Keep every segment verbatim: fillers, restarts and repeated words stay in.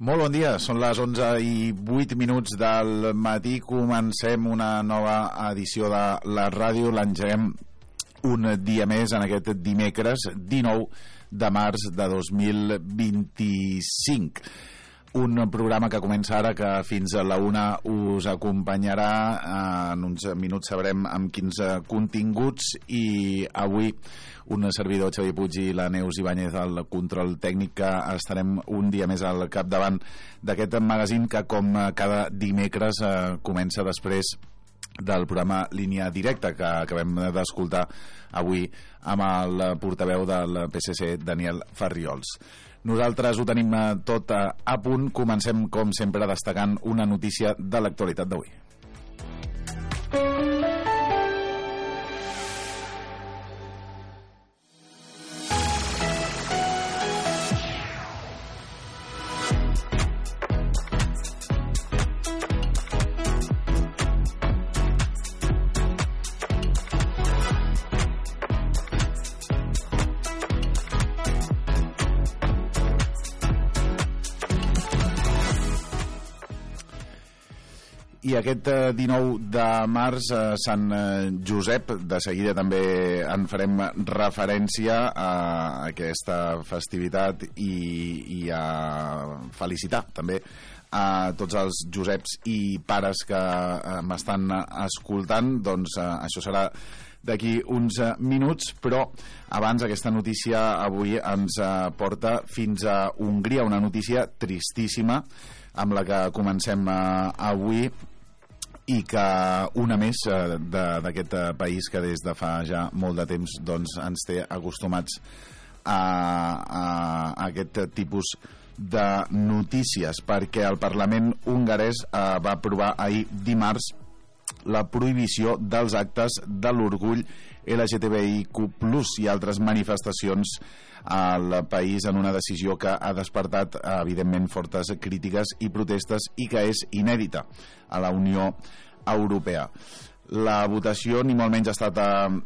Molt bon dia, són les onze i vuit minuts del matí. Comencem una nova edició de la ràdio, l'engeguem un dia més en aquest dimecres dinou de març de dos mil vint-i-cinc. Un programa que comença ara, que fins a la una us acompanyarà. En uns minuts sabrem amb quins continguts, i avui un servidor, Xavier Puig, i la Neus Ibáñez al control tècnic, que estarem un dia més al capdavant d'aquest magazín que, com cada dimecres, eh, comença després del programa Línia Directa, que acabem d'escoltar avui amb el portaveu del P S C, Daniel Farriols. Nosaltres ho tenim tot a punt. Comencem, com sempre, destacant una notícia de l'actualitat d'avui. I aquest dinou de març, Sant Josep, de seguida també en farem referència a aquesta festivitat i, i a felicitar també a tots els Joseps i pares que m'estan escoltant. Doncs això serà d'aquí uns minuts, però abans aquesta notícia avui ens porta fins a Hongria, una notícia tristíssima amb la que comencem avui, i que una més d'aquest país que des de fa ja molt de temps doncs, ens té acostumats a, a, a aquest tipus de notícies, perquè el Parlament hongarès eh, va aprovar ahir dimarts la prohibició dels actes de l'orgull L G T B I Q plus i altres manifestacions al país, en una decisió que ha despertat evidentment fortes crítiques i protestes, i que és inèdita a la Unió Europea. La votació ni molt menys ha estat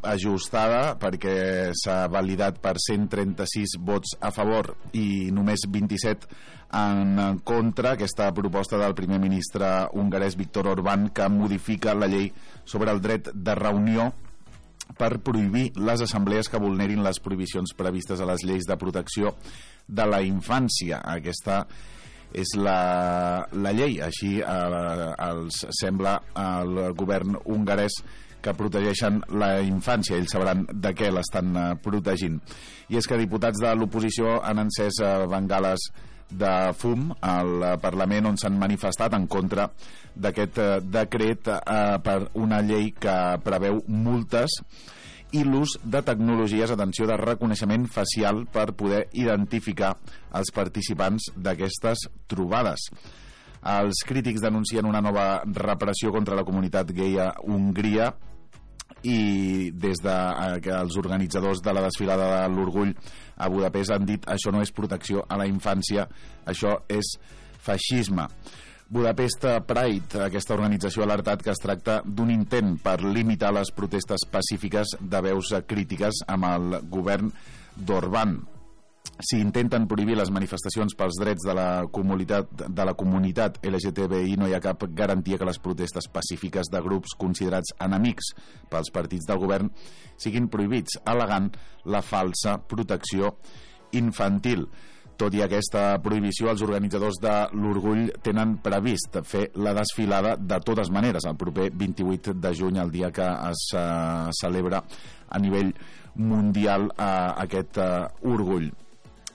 ajustada, perquè s'ha validat per cent trenta-sis vots a favor i només vint-i-set en contra aquesta proposta del primer ministre hongarès Viktor Orbán, que modifica la llei sobre el dret de reunió per prohibir les assemblees que vulnerin les prohibicions previstes a les lleis de protecció de la infància. Aquesta és la, la llei, així eh, els sembla al govern hongarès, que protegeixen la infància. Ells sabran de què l'estan eh, protegint. I és que diputats de l'oposició han encès eh, bengales de fum al Parlament, on s'han manifestat en contra d'aquest eh, decret eh, per una llei que preveu multes i l'ús de tecnologies, atenció, de reconeixement facial per poder identificar els participants d'aquestes trobades. Els crítics denuncien una nova repressió contra la comunitat gai a Hongria, i des de que els organitzadors de la desfilada de l'orgull a Budapest han dit: això no és protecció a la infància, això és feixisme. Budapest Pride, aquesta organització, ha alertat que es tracta d'un intent per limitar les protestes pacífiques de veus crítiques amb el govern d'Orbán. Si intenten prohibir les manifestacions pels drets de la comunitat, de la comunitat L G T B I, no hi ha cap garantia que les protestes pacífiques de grups considerats enemics pels partits del govern siguin prohibits, al·legant la falsa protecció infantil. Tot i aquesta prohibició, els organitzadors de l'orgull tenen previst fer la desfilada de totes maneres el proper vint-i-vuit de juny, el dia que es uh, celebra a nivell mundial uh, aquest uh, orgull.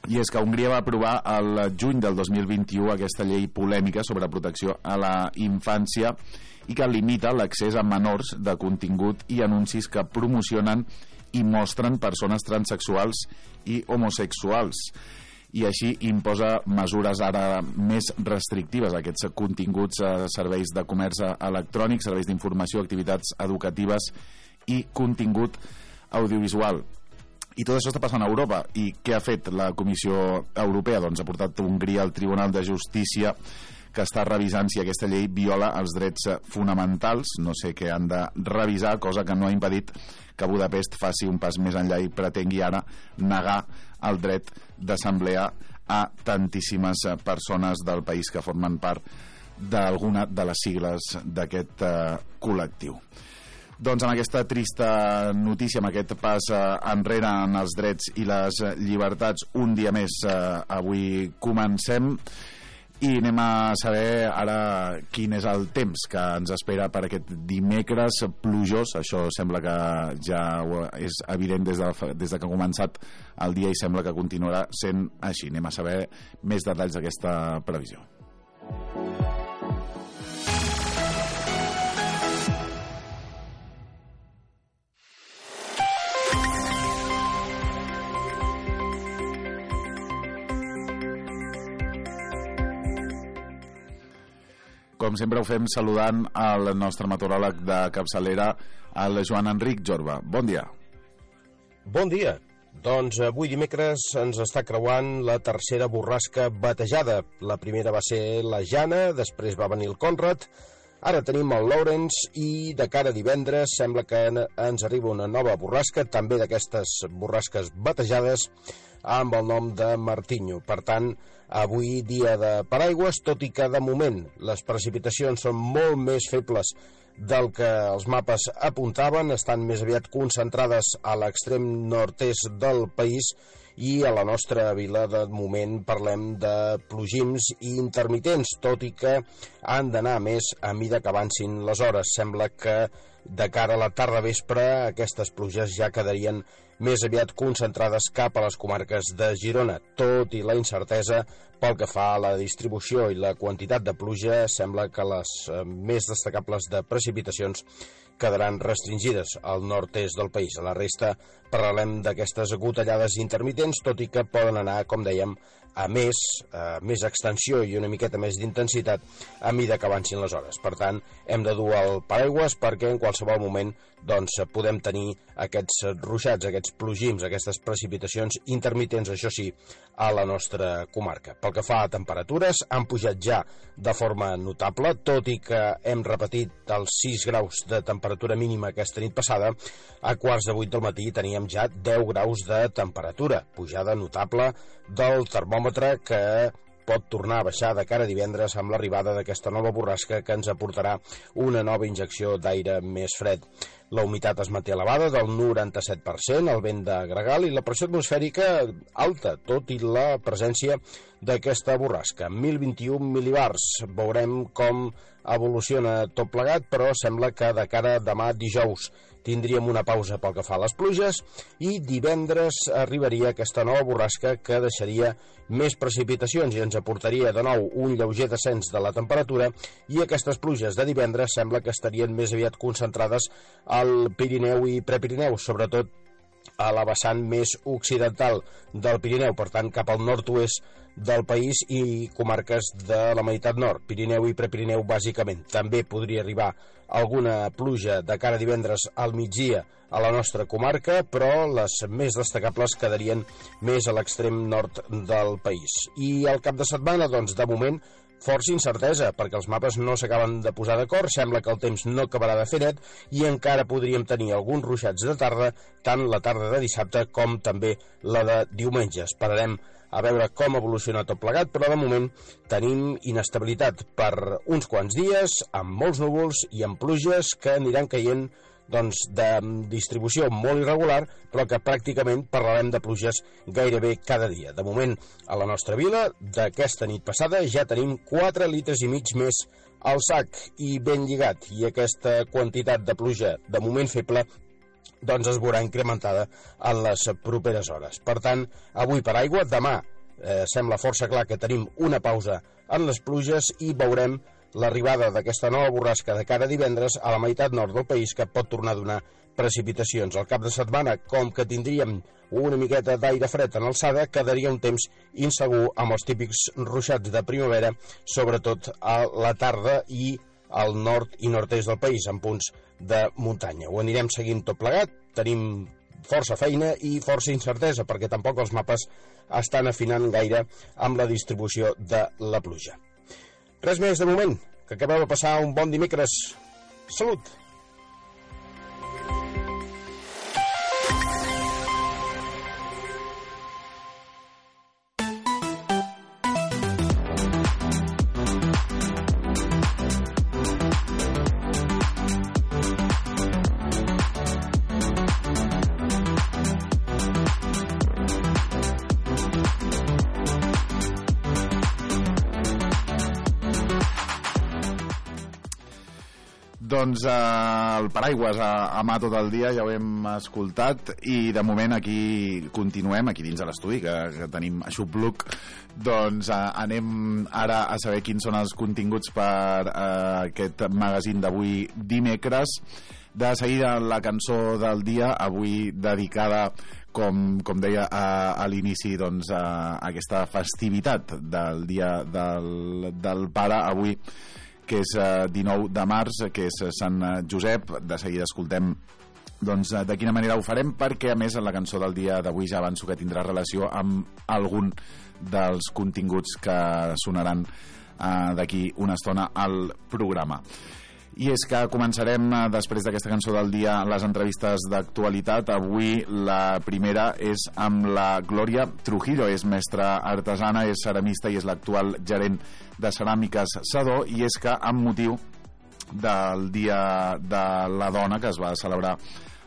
I és que Hongria va aprovar el juny del dos mil vint-i-u aquesta llei polèmica sobre protecció a la infància, i que limita l'accés a menors de contingut i anuncis que promocionen i mostren persones transexuals i homosexuals, i així imposa mesures ara més restrictives a aquests continguts, a serveis de comerç electrònic, serveis d'informació, activitats educatives i contingut audiovisual. I tot això està passant a Europa. I què ha fet la Comissió Europea? Doncs ha portat Hongria al Tribunal de Justícia, que està revisant si aquesta llei viola els drets fonamentals. No sé què han de revisar, cosa que no ha impedit que Budapest faci un pas més enllà i pretengui ara negar el dret d'assemblea a tantíssimes persones del país que formen part d'alguna de les sigles d'aquest eh, col·lectiu. Doncs amb aquesta trista notícia, amb aquest pas eh, enrere en els drets i les llibertats, un dia més eh, avui comencem i anem a saber ara quin és el temps que ens espera per aquest dimecres plujós. Això sembla que ja és evident des de, des de que ha començat el dia i sembla que continuarà sent així. Anem a saber més detalls d'aquesta previsió. Com sempre ho fem saludant el nostre meteoròleg de capçalera, el Joan Enric Jorba. Bon dia. Bon dia. Doncs avui dimecres ens està creuant la tercera borrasca batejada. La primera va ser la Jana, després va venir el Conrad, ara tenim el Lawrence i de cara a divendres sembla que ens arriba una nova borrasca, també d'aquestes borrasques batejades, amb el nom de Martinho. Per tant, avui dia de paraigües, tot i que de moment les precipitacions són molt més febles del que els mapes apuntaven, estan més aviat concentrades a l'extrem nord-est del país i a la nostra vila de moment parlem de plogims intermitents, tot i que han d'anar més a mida que avancin les hores. Sembla que de cara a la tarda vespre aquestes pluges ja quedarien més aviat concentrades cap a les comarques de Girona. Tot i la incertesa pel que fa a la distribució i la quantitat de pluja, sembla que les eh, més destacables de precipitacions quedaran restringides al nord-est del país. A la resta parlem d'aquestes gotellades intermitents, tot i que poden anar, com dèiem, a més, a més extensió i una miqueta més d'intensitat a mida que avancin les hores. Per tant, hem de dur el paraigües perquè en qualsevol moment doncs, podem tenir aquests ruixats, aquests plogims, aquestes precipitacions intermitents, això sí, a la nostra comarca. Pel que fa a temperatures, han pujat ja de forma notable, tot i que hem repetit els sis graus de temperatura mínima aquesta nit passada, a quarts de vuit del matí teníem ja deu graus de temperatura, pujada notable del termòmetre que pot tornar a baixar de cara a divendres amb l'arribada d'aquesta nova borrasca que ens aportarà una nova injecció d'aire més fred. La humitat es manté elevada del noranta-set per cent, el vent de gregal i la pressió atmosfèrica alta, tot i la presència d'aquesta borrasca. mil vint-i-un mil·libars. Veurem com evoluciona tot plegat, però sembla que de cara a demà dijous tindríem una pausa pel que fa a les pluges i divendres arribaria aquesta nova borrasca que deixaria més precipitacions i ens aportaria de nou un lleuger descens de la temperatura i aquestes pluges de divendres sembla que estarien més aviat concentrades al Pirineu i Prepirineu, sobretot a la vessant més occidental del Pirineu, per tant cap al nord-oest del país i comarques de la meitat nord, Pirineu i Prepirineu bàsicament. També podria arribar alguna pluja de cara a divendres al migdia a la nostra comarca, però les més destacables quedarien més a l'extrem nord del país. I al cap de setmana, doncs, de moment, força incertesa, perquè els mapes no s'acaben de posar d'acord, sembla que el temps no acabarà de fer net i encara podríem tenir alguns ruixats de tarda, tant la tarda de dissabte com també la de diumenge. Esperarem a veure com evoluciona tot plegat, però de moment tenim inestabilitat per uns quants dies, amb molts núvols i amb pluges que aniran caient doncs, de distribució molt irregular, però que pràcticament parlarem de pluges gairebé cada dia. De moment, a la nostra vila, d'aquesta nit passada, ja tenim quatre litres i mig més al sac i ben lligat, i aquesta quantitat de pluja, de moment feble, doncs es veurà incrementada en les properes hores. Per tant, avui per aigua, demà eh, sembla força clar que tenim una pausa en les pluges i veurem l'arribada d'aquesta nova borrasca de cara a divendres a la meitat nord del país que pot tornar a donar precipitacions. Al cap de setmana, com que tindríem una miqueta d'aire fred en alçada, quedaria un temps insegur amb els típics ruixats de primavera, sobretot a la tarda i al nord i nord-est del país, en punts de muntanya. Ho anirem seguint tot plegat, tenim força feina i força incertesa, perquè tampoc els mapes estan afinant gaire amb la distribució de la pluja. Res més de moment, que acabeu de passar un bon dimecres. Salut! Doncs eh, el paraigües a, a mà tot el dia, ja ho hem escoltat, i de moment aquí continuem, aquí dins de l'estudi, que, que tenim aixopluc. Doncs eh, anem ara a saber quins són els continguts per eh, aquest magazín d'avui dimecres. De seguida la cançó del dia, avui dedicada, com, com deia a, a l'inici, doncs, a, a aquesta festivitat del dia del, del pare, avui, que és eh, dinou de març, que és Sant Josep. De seguida escoltem doncs, de quina manera ho farem, perquè a més la cançó del dia d'avui ja avanço que tindrà relació amb algun dels continguts que sonaran eh, d'aquí una estona al programa. I és que començarem, després d'aquesta cançó del dia, les entrevistes d'actualitat. Avui la primera és amb la Glòria Trujillo. És mestra artesana, és ceramista i és l'actual gerent de Ceràmiques Sedó. I és que amb motiu del Dia de la Dona, que es va celebrar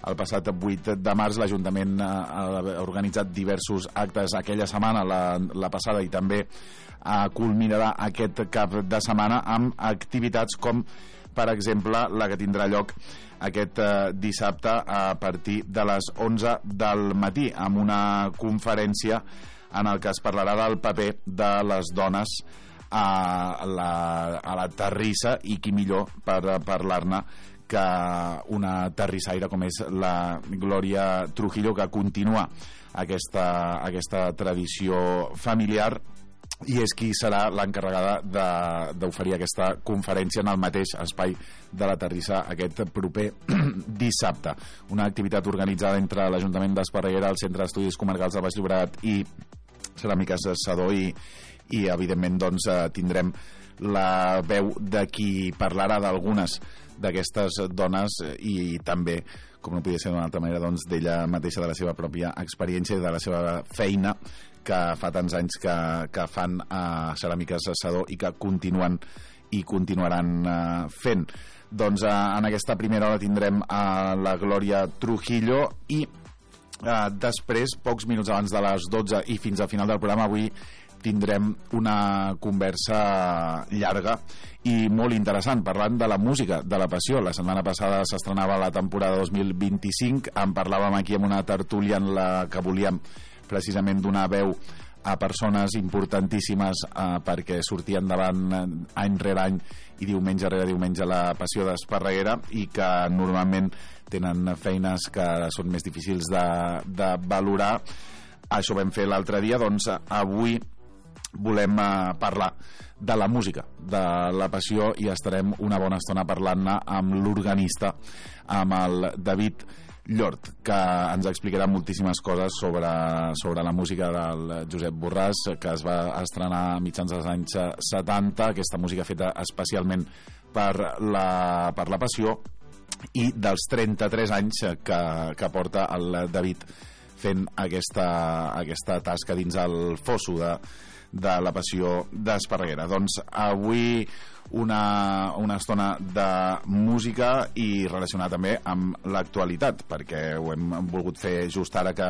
el passat vuit de març, l'Ajuntament ha organitzat diversos actes aquella setmana, la, la passada, i també eh, culminarà aquest cap de setmana amb activitats com, per exemple, la que tindrà lloc aquest eh, dissabte a partir de les onze del matí, amb una conferència en el que es parlarà del paper de les dones a la, a la terrissa, i qui millor per parlar-ne que una terrissaire com és la Glòria Trujillo, que continua aquesta, aquesta tradició familiar, i és qui serà l'encarregada d'oferir aquesta conferència en el mateix espai de la terrissa aquest proper dissabte. Una activitat organitzada entre l'Ajuntament d'Esparreguera, el Centre d'Estudis Comarcals del Baix Llobregat i Ceràmiques Sedó, i, i evidentment doncs, tindrem la veu de qui parlarà d'algunes d'aquestes dones, i també, com no podia ser d'una altra manera, doncs, d'ella mateixa, de la seva pròpia experiència i de la seva feina que fa tants anys que, que fan a Ceràmiques Sedó i que continuen i continuaran uh, fent. Doncs uh, en aquesta primera hora tindrem a la Glòria Trujillo, i uh, després, pocs minuts abans de les dotze i fins al final del programa, avui tindrem una conversa llarga i molt interessant, parlant de la música, de la passió. La setmana passada s'estrenava la temporada dos mil vint-i-cinc, en parlàvem aquí amb una tertúlia en la que volíem precisament donar veu a persones importantíssimes eh, perquè sortien davant eh, any rere any i diumenge rere diumenge la passió d'Esparreguera, i que normalment tenen feines que són més difícils de, de valorar. Això vam fer l'altre dia. Doncs avui volem eh, parlar de la música, de la passió, i estarem una bona estona parlant-ne amb l'organista, amb el David Llort, que ens explicarà moltíssimes coses sobre, sobre la música del Josep Borràs, que es va estrenar a mitjans dels anys setanta, aquesta música feta especialment per la, per la passió, i dels trenta-tres anys que, que porta el David fent aquesta, aquesta tasca dins el fosso de, de la passió d'Esparreguera. Doncs avui una, una estona de música i relacionada també amb l'actualitat, perquè ho hem volgut fer just ara que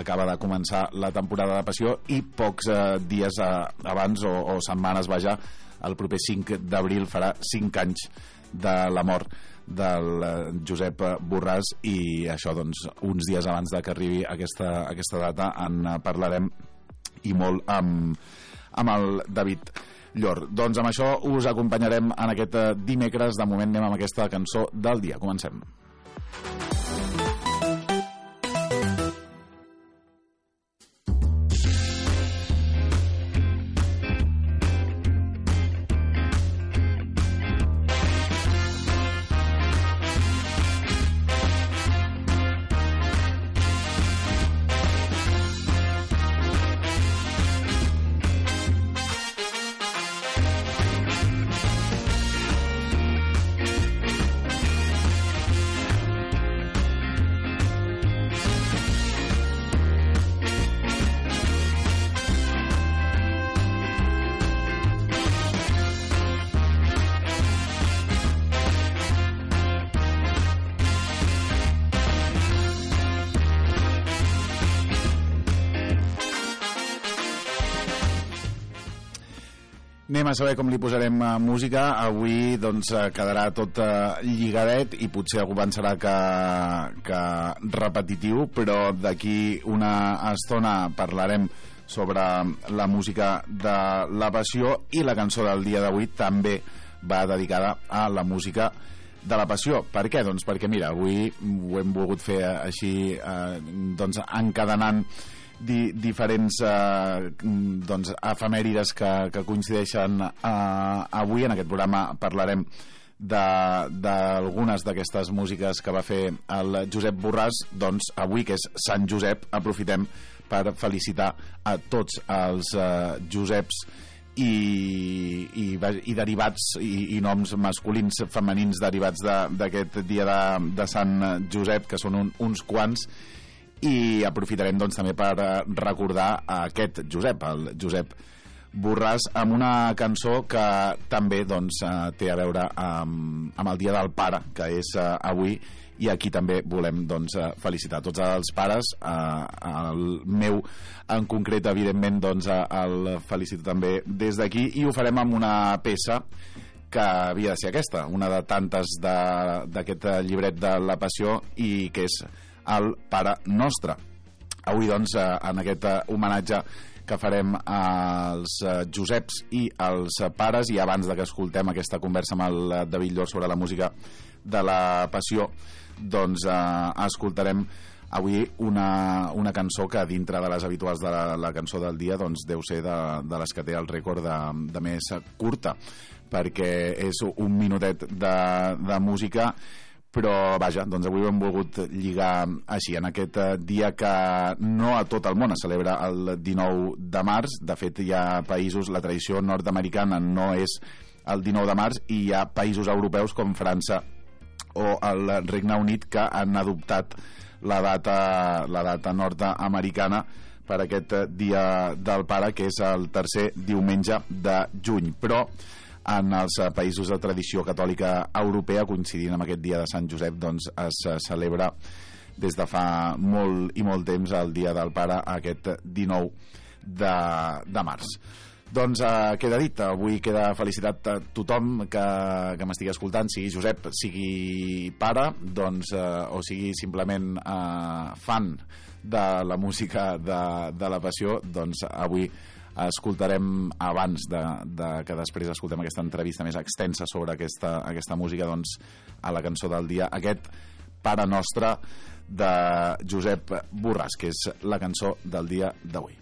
acaba de començar la temporada de passió, i pocs eh, dies eh, abans o, o setmanes, vaja, el proper cinc d'abril farà cinc anys de la mort del Josep Borràs, i això, doncs, uns dies abans de que arribi aquesta, aquesta data en parlarem i molt amb, amb el David Llort. Doncs amb això us acompanyarem en aquest dimecres. De moment anem amb aquesta cançó del dia. Comencem. Anem a saber com li posarem uh, música. Avui doncs uh, quedarà tot uh, lligadet i potser algú pensarà que, que repetitiu, però d'aquí una estona parlarem sobre la música de la Passió, i la cançó del dia d'avui també va dedicada a la música de la Passió. Per què? Doncs perquè mira, avui ho hem volgut fer així eh, doncs encadenant di, diferents eh, doncs efemèrides que, que coincideixen eh, avui. En aquest programa parlarem d'algunes d'aquestes músiques que va fer el Josep Borràs. Doncs avui, que és Sant Josep, aprofitem per felicitar a tots els eh, Joseps i, i, i derivats i, i noms masculins, femenins derivats d'aquest de, dia de, de Sant Josep, que són un, uns quants, i aprofitarem doncs també per recordar aquest Josep, el Josep Borràs, amb una cançó que també doncs té a veure amb, amb el Dia del Pare, que és uh, avui, i aquí també volem doncs felicitar tots els pares, eh, el meu en concret, evidentment, doncs el felicito també des d'aquí, i ho farem amb una peça que havia de ser aquesta, una de tantes d'aquest llibret de la Passió, i que és el Pare Nostre. Avui doncs en aquest homenatge que farem als Joseps i als pares, i abans de que escoltem aquesta conversa amb el David Llor sobre la música de la Passió, doncs eh, escoltarem avui una, una cançó que dintre de les habituals de la, la cançó del dia doncs deu ser de, de les que té el rècord de, de més curta, perquè és un minutet de, de música, però vaja, doncs avui ho hem volgut lligar així, en aquest dia que no a tot el món es celebra el dinou de març. De fet, hi ha països, la tradició nord-americana no és el dinou de març, i hi ha països europeus com França o el Regne Unit que han adoptat la data, la data nord-americana per aquest dia del pare, que és el tercer diumenge de juny. Però en els països de tradició catòlica europea, coincidint amb aquest dia de Sant Josep, doncs es celebra des de fa molt i molt temps el dia del pare, aquest dinou de, de març. Doncs eh, queda dit, avui queda felicitat a tothom que, que m'estigui escoltant, sigui Josep, sigui pare, doncs, eh, o sigui simplement eh, fan de la música de, de la Passió. Doncs avui escoltarem, abans de, de que després escoltem aquesta entrevista més extensa sobre aquesta, aquesta música, doncs a la cançó del dia, aquest Pare Nostre de Josep Borràs, que és la cançó del dia d'avui.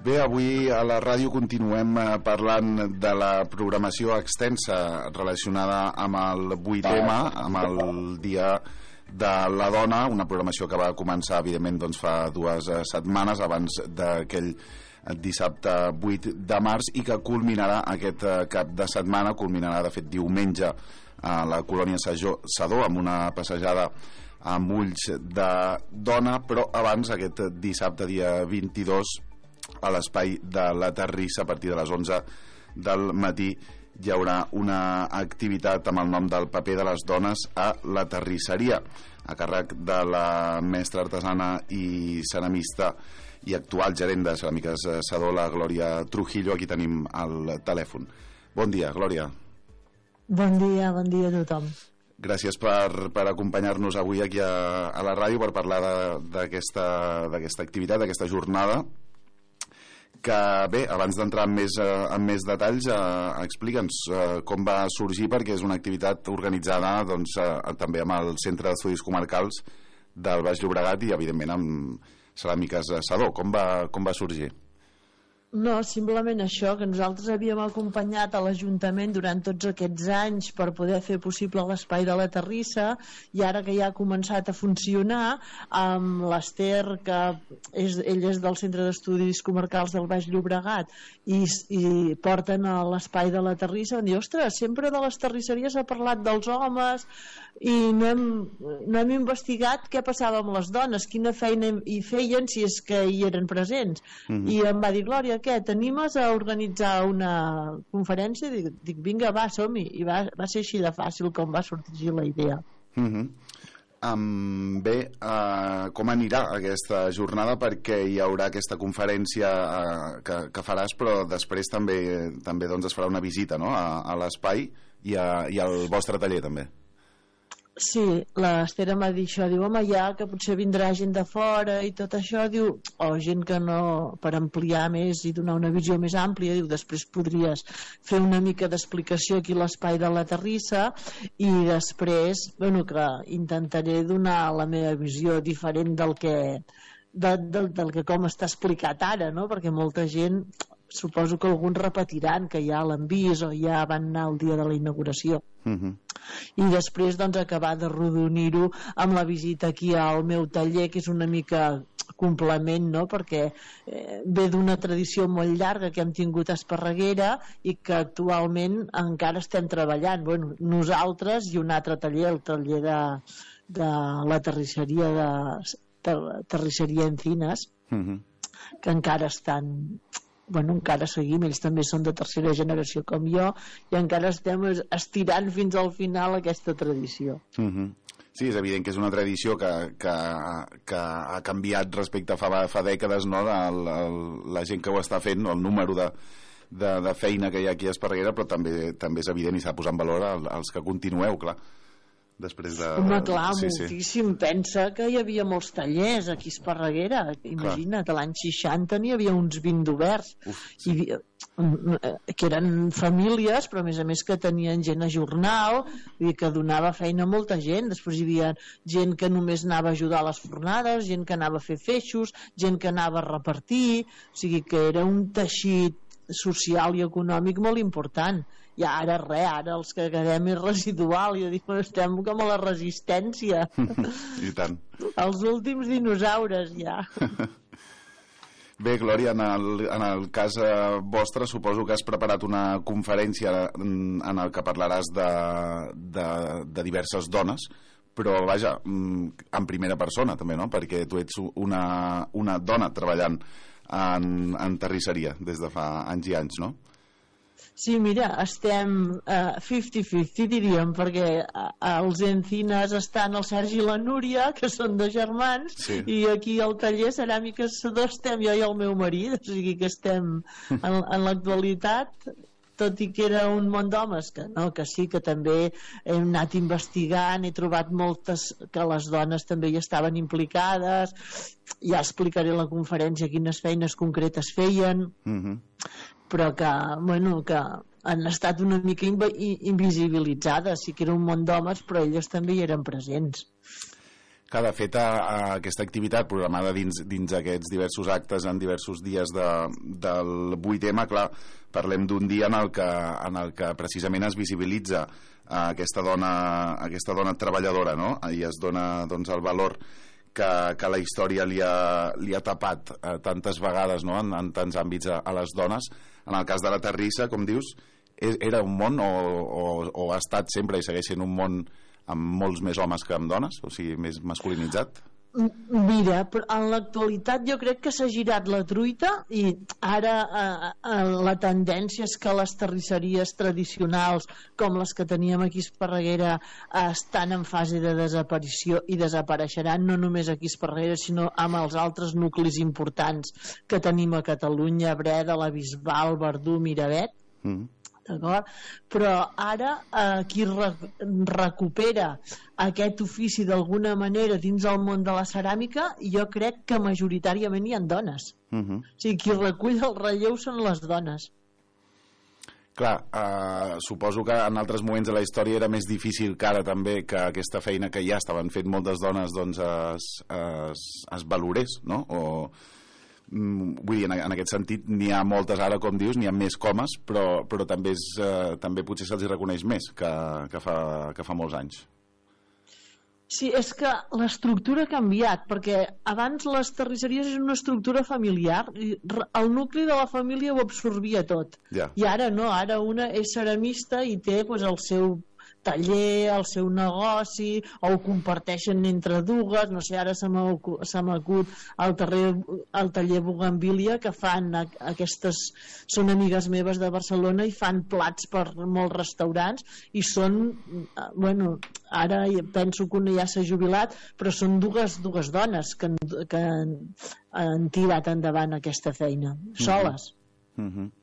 Bé, avui a la ràdio continuem parlant de la programació extensa relacionada amb el vuit eme, amb el Dia de la Dona, una programació que va començar, evidentment, doncs, fa dues setmanes, abans d'aquell dissabte vuit de març, i que culminarà aquest cap de setmana, culminarà, de fet, diumenge, a la colònia Sadó, amb una passejada amb ulls de dona, però abans, aquest dissabte dia vint-i-dos, a l'espai de la Terrissa, a partir de les onze del matí, hi haurà una activitat amb el nom del paper de les dones a la terrisseria, a càrrec de la mestra artesana i ceramista i actual gerent de Ceràmiques Sedó, la Glòria Trujillo. Aquí tenim el telèfon. Bon dia, Glòria. Bon dia, bon dia a tothom. Gràcies per, per acompanyar-nos avui aquí a, a la ràdio per parlar d'aquesta d'aquesta activitat, d'aquesta jornada, que bé, abans d'entrar en més, en més detalls, eh, explica'ns eh, com va sorgir, perquè és una activitat organitzada doncs, eh, també amb el Centre d'Estudis Comarcals del Baix Llobregat i evidentment amb Ceràmiques Sedó. Com va, com va sorgir? No, simplement això, que nosaltres havíem acompanyat a l'Ajuntament durant tots aquests anys per poder fer possible l'espai de la Terrissa, i ara que ja ha començat a funcionar, amb l'Ester, que és, ell és del Centre d'Estudis Comarcals del Baix Llobregat, i, i porten a l'espai de la Terrissa, van dir, ostres, sempre de les terrisseries ha parlat dels homes, i no hem, no hem investigat què passava amb les dones, quina feina hi feien, si és que hi eren presents. Mm-hmm. I em va dir, Glòria, què, t'animes a organitzar una conferència? Dic, dic vinga, va, som-hi. I va, va ser així de fàcil com va sortir la idea. Mm-hmm. Um, bé, uh, com anirà aquesta jornada? Perquè hi haurà aquesta conferència uh, que, que faràs, però després també, també doncs, es farà una visita, no?, a, a l'espai i, a, i al vostre taller també. Sí, l'Esther m'ha dit això, diu, home, ja que potser vindrà gent de fora i tot això, diu, o gent que no, per ampliar més i donar una visió més àmplia, diu, després podries fer una mica d'explicació aquí a l'espai de la Terrissa, i després, bueno, que intentaré donar la meva visió diferent del que, de, del, del que com està explicat ara, no?, perquè molta gent, suposo que alguns repetiran que ja l'han vist o ja van anar el dia de la inauguració. Uh-huh. I després doncs acabar de rodonir-ho amb la visita aquí al meu taller, que és una mica complement, no?, perquè eh, ve d'una tradició molt llarga que hem tingut a Esparreguera i que actualment encara estem treballant, bueno, nosaltres i un altre taller, el taller de, de la terrisseria de ter, terrisseria Encinas, uh-huh, que encara estan, bueno, encara seguim, ells també són de tercera generació com jo, i encara estem estirant fins al final aquesta tradició. Uh-huh. Sí, és evident que és una tradició que, que, que ha canviat respecte a fa, fa dècades, no?, el, el, la gent que ho està fent, no?, el número de, de, de feina que hi ha aquí a Esparreguera, però també, també és evident i s'ha de posar en valor el, els que continueu, clar. Després de... Home, clar, sí, moltíssim. Sí. Pensa que hi havia molts tallers aquí a Esparreguera. Imagina't, clar, l'any seixanta n'hi havia uns vint d'oberts. Sí. I, que eren famílies, però a més a més que tenien gent a jornal, i que donava feina a molta gent. Després hi havia gent que només anava a ajudar a les fornades, gent que anava a fer feixos, gent que anava a repartir, o sigui que era un teixit social i econòmic molt important. I ara res, ara els que quedem és residual, i dic, estem com a la resistència. I tant. Els últims dinosaures, ja. Bé, Glòria, en el, en el cas eh, vostre, suposo que has preparat una conferència en, en el que parlaràs de, de, de diverses dones, però, vaja, en primera persona, també, no?, perquè tu ets una, una dona treballant en, en terrisseria des de fa anys i anys, no? Sí, mira, estem uh, cinquanta-cinquanta, diríem, perquè uh, als Encinas estan el Sergi i la Núria, que són dos germans, sí, i aquí al taller Ceràmiques Sedó estem jo i el meu marit, o sigui que estem en, en l'actualitat, tot i que era un món d'homes, que no, que sí, que també hem anat investigant, he trobat moltes que les dones també hi estaven implicades, ja explicaré a la conferència quines feines concretes feien, mm-hmm, però que, bueno, que han estat una mica invisibilitzades. Sí que era un món d'homes, però elles també hi eren presents. Que de fet a, a aquesta activitat programada dins, dins aquests diversos actes en diversos dies de, del vuit eme, clar, parlem d'un dia en el que, en el que precisament es visibilitza a aquesta dona, a aquesta dona treballadora, no?, i es dona, doncs, el valor que, que la història li ha, li ha tapat eh, tantes vegades, no?, en, en tants àmbits a, a les dones. En el cas de la Terrissa, com dius, era un món o, o, o ha estat sempre i segueix sent un món amb molts més homes que amb dones, o sigui, més masculinitzat? Mira, en l'actualitat jo crec que s'ha girat la truita i ara eh, eh, la tendència és que les terrisseries tradicionals com les que teníem aquí a Esparreguera eh, estan en fase de desaparició i desapareixeran no només aquí a Esparreguera sinó amb els altres nuclis importants que tenim a Catalunya, Breda, la Bisbal, Verdú, Miravet. Mm. D'acord? Però ara eh, qui re recupera aquest ofici d'alguna manera dins el món de la ceràmica, jo crec que majoritàriament hi ha dones. Uh-huh. O sigui, qui recull el relleu són les dones. Clar, eh, suposo que en altres moments de la història era més difícil que ara també que aquesta feina que ja estaven fent moltes dones doncs es, es, es valorés, no? O... vull dir, en, en aquest sentit n'hi ha moltes ara, com dius, n'hi ha més comes, però, però també, és, eh, també potser se'ls reconeix més que, que, fa, que fa molts anys. Sí, és que l'estructura ha canviat, perquè abans les terrisseries eren una estructura familiar, i el nucli de la família ho absorbia tot, yeah. I ara no, ara una és ceramista i té pues, el seu taller, el seu negoci, o ho comparteixen entre dues, no sé, ara se m'acut el, el taller Bougainvillea, que fan aquestes, són amigues meves de Barcelona i fan plats per molts restaurants i són, bueno, ara penso que una ja s'ha jubilat, però són dues, dues dones que, que han, han tirat endavant aquesta feina, soles. Mm-hmm.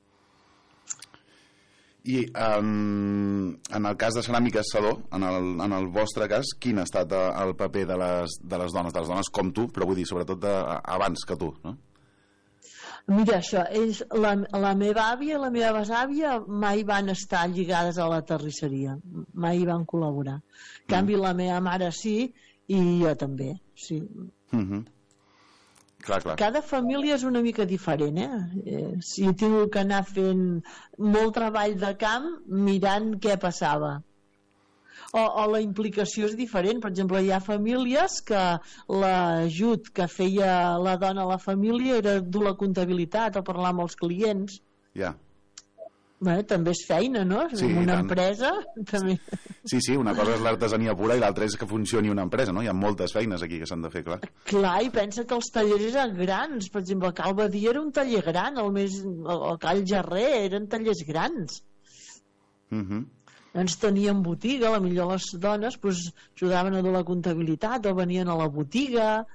I um, en el cas de Ceràmica Saló, en el, en el vostre cas, quin ha estat el paper de les, de les dones, de les dones com tu, però vull dir, sobretot de, abans que tu, no? Mira, això, ells, la, la meva àvia i la meva besàvia mai van estar lligades a la terrisseria, mai van col·laborar. En canvi, mm. la meva mare sí, i jo també, sí. Mm-hmm. Clar, clar. Cada família és una mica diferent, eh? eh? Si he tingut que anar fent molt treball de camp mirant què passava. O, o la implicació és diferent. Per exemple, hi ha famílies que l'ajut que feia la dona a la família era dur la comptabilitat o parlar amb els clients. Ja. Yeah. Bé, també és feina, no? Sí, una tant. Empresa també... Sí, sí, una cosa és l'artesania pura i l'altra és que funcioni una empresa, no? Hi ha moltes feines aquí que s'han de fer, clar. Clar, i pensa que els tallers eren grans. Per exemple, el Cal Badia era un taller gran, el, més, el Cal Gerrer eren tallers grans. Mhm. Doncs tenien botiga, a la millor les dones pues, ajudaven a dur la comptabilitat o venien a la botiga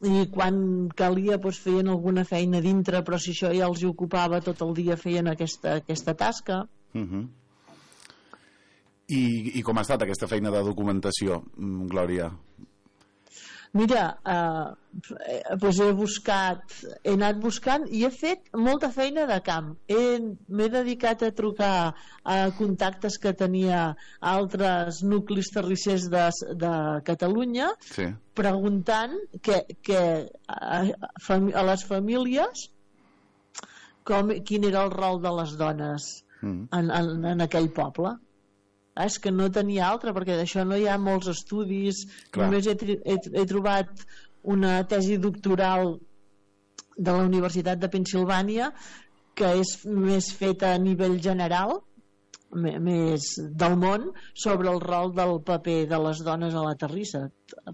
i quan calia doncs, feien alguna feina dintre, però si això ja els ocupava tot el dia feien aquesta, aquesta tasca. Uh-huh. I, I com ha estat aquesta feina de documentació, Glòria? Mira, eh, doncs he buscat, he anat buscant i he fet molta feina de camp. M'he dedicat a trucar a contactes que tenia a altres nuclis terrissers de, de Catalunya, sí. Preguntant que, que a, a les famílies com, quin era el rol de les dones mm. en, en, en aquell poble. Ah, és que no tenia altra, perquè d'això no hi ha molts estudis. Clar. Només he, he, he trobat una tesi doctoral de la Universitat de Pennsilvània que és més feta a nivell general, més del món, sobre el rol del paper de les dones a la terrissa.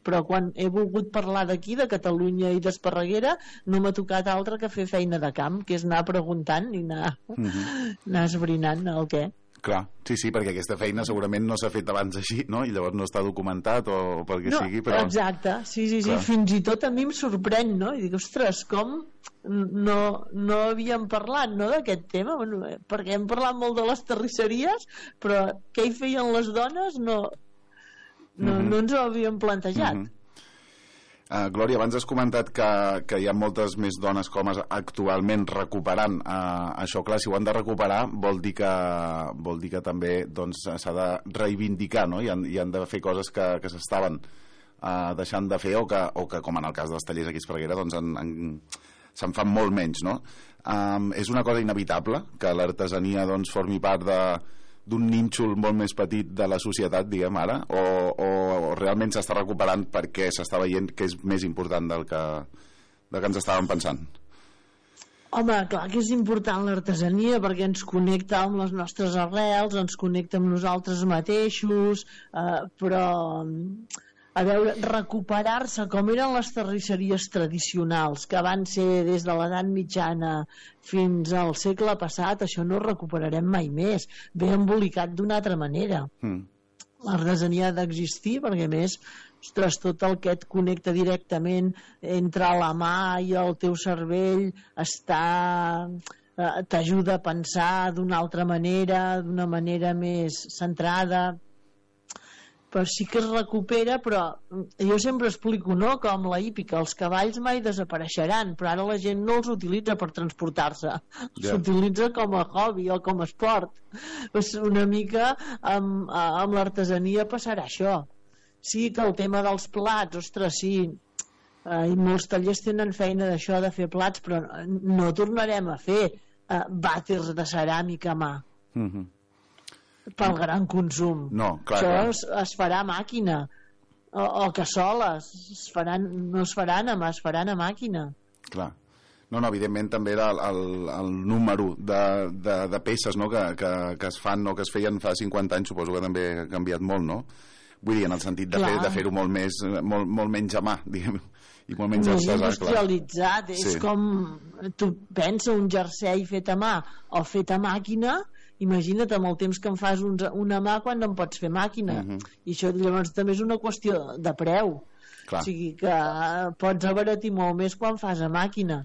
Però quan he volgut parlar d'aquí, de Catalunya i d'Esparreguera, no m'ha tocat altra que fer feina de camp, que és anar preguntant i anar, mm-hmm. anar esbrinant el què. Clar, sí, sí, perquè aquesta feina segurament no s'ha fet abans així, no? I llavors no està documentat o pel que no, sigui, però... Exacte, sí, sí, sí, clar. Fins i tot a mi em sorprèn, no? I dic, ostres, com no, no havíem parlat, no, d'aquest tema? Bueno, perquè hem parlat molt de les terrisseries, però què hi feien les dones no, no, mm-hmm. no ens ho havíem plantejat. Mm-hmm. Uh, Glòria, abans has comentat que, que hi ha moltes més dones com actualment recuperant uh, això. Clar, si ho han de recuperar vol dir que, vol dir que també doncs, s'ha de reivindicar, no? I han, i han de fer coses que, que s'estaven uh, deixant de fer o que, o que, com en el cas dels tallers aquí a Esparreguera, doncs en, en, se'n fan molt menys, no? Um, és una cosa inevitable que l'artesania doncs, formi part de d'un nínxol molt més petit de la societat, diguem ara, o, o, o realment s'està recuperant perquè s'està veient que és més important del que, del que ens estàvem pensant? Home, clar que és important l'artesania perquè ens connecta amb les nostres arrels, ens connecta amb nosaltres mateixos, eh, però a veure, recuperar-se com eren les terrisseries tradicionals que van ser des de l'edat mitjana fins al segle passat, això no ho recuperarem mai més, ve embolicat d'una altra manera. Mm. L'artesania ha d'existir perquè a més, ostres, tot el que et connecta directament entre la mà i el teu cervell està, eh, t'ajuda a pensar d'una altra manera, d'una manera més centrada, però sí que es recupera. Però jo sempre explico, no?, com la hípica, els cavalls mai desapareixeran, però ara la gent no els utilitza per transportar-se, yeah. S'utilitza com a hobby o com a esport. Pues una mica amb, amb l'artesania passarà això. Sí que el tema dels plats, ostres, sí, eh, i molts tallers tenen feina d'això, de fer plats, però no tornarem a fer eh, vàters de ceràmica a mà. Mhm. Pel gran consum. No, clar, això clar. Es, es farà a màquina o, o cassoles es faran, no es faran a mà, es faran a màquina. Clar. No, no, evidentment també era el, el, el número de, de, de peces, no?, que, que, que es fan o que es feien fa cinquanta anys, suposo que també ha canviat molt, no? Vull dir, en el sentit de, fer, de fer-ho molt, més, molt, molt menys a mà, diguem, i molt menys més artesà, industrialitzat. És sí. Com tu pensa un jersei fet a mà o fet a màquina. Imagina't amb el temps que en fas un, una mà quan no en pots fer màquina. Uh-huh. I això llavors també és una qüestió de preu. Clar. O sigui que pots abaratir molt més quan fas a màquina.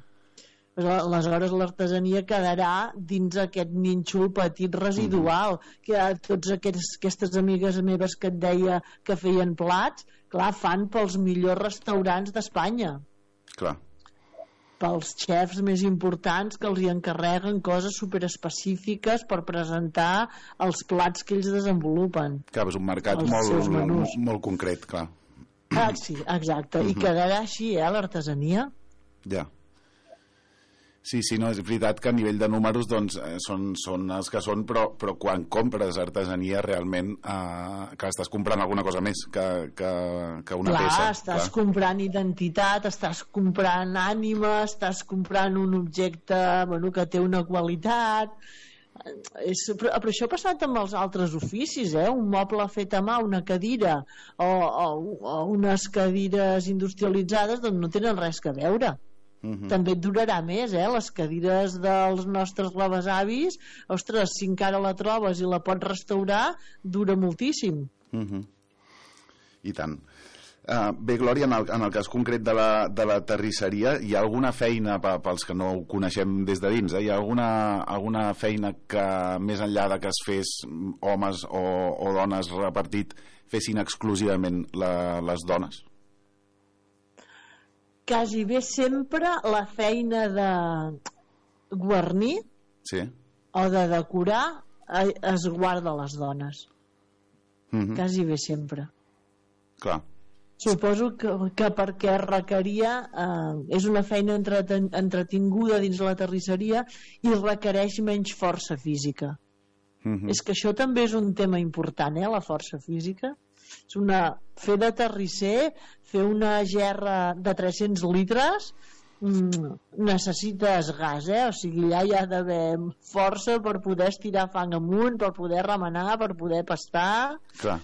Aleshores l'artesania quedarà dins aquest nínxol petit residual. Uh-huh. Que tots aquests, aquestes amigues meves que et deia que feien plats, clar, fan pels millors restaurants d'Espanya. Clar. Pels xefs més importants que els hi encarreguen coses superespecífiques per presentar els plats que ells desenvolupen. Clar, és un mercat molt, molt, molt concret, clar. Ah, sí, exacte. Uh-huh. I quedarà així, eh, l'artesania. Ja. Sí, sí, no, és veritat que a nivell de números doncs, eh, són, són els que són, però, però quan compres artesania realment eh, que estàs comprant alguna cosa més que, que, que una clar, peça. Estàs clar. comprant identitat, estàs comprant ànima, estàs comprant un objecte, bueno, que té una qualitat. És, però, però això ha passat amb els altres oficis, eh? Un moble fet a mà, una cadira o, o, o unes cadires industrialitzades, doncs no tenen res que veure. Uh-huh. També et durarà més, eh? Les cadires dels nostres rebesavis, ostres, si encara la trobes i la pots restaurar, dura moltíssim. Uh-huh. I tant. Uh, bé, Glòria, en el, en el cas concret de la, de la terrisseria, hi ha alguna feina, pels que no ho coneixem des de dins, eh? Hi ha alguna, alguna feina que, més enllà de que es fes homes o, o dones repartit, fessin exclusivament la, les dones? Quasi bé sempre la feina de guarnir, sí, o de decorar es guarda a les dones. Mm-hmm. Quasi bé sempre. Clar. Suposo que, que perquè requeria eh, és una feina entreten, entretinguda dins la terrisseria i requereix menys força física. Mm-hmm. És que això també és un tema important, eh, la força física. És una, fer de terrisser, fer una gerra de tres-cents litres, mm, necessites gas, eh? O sigui, allà hi ha d'haver força per poder estirar fang amunt, per poder remenar, per poder pastar. Clar.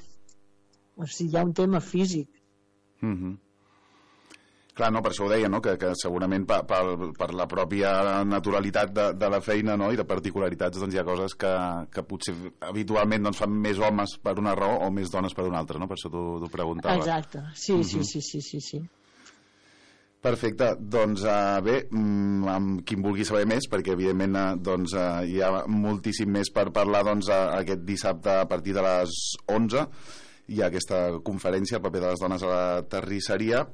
O sigui, hi ha un tema físic. Mhm. Clar, no, per això ho deia, no? que, que segurament per, per, per la pròpia naturalitat de, de la feina, no? I de particularitats, doncs hi ha coses que, que potser habitualment doncs, fan més homes per una raó o més dones per una altra, no? Per això t'ho preguntava. Exacte, sí, mm-hmm. sí, sí, sí, sí, sí. Perfecte, doncs uh, bé, mm, amb qui en vulgui saber més, perquè evidentment uh, doncs, uh, hi ha moltíssim més per parlar doncs, uh, aquest dissabte a partir de les onze, hi ha aquesta conferència, el paper de les dones a la terrisseria.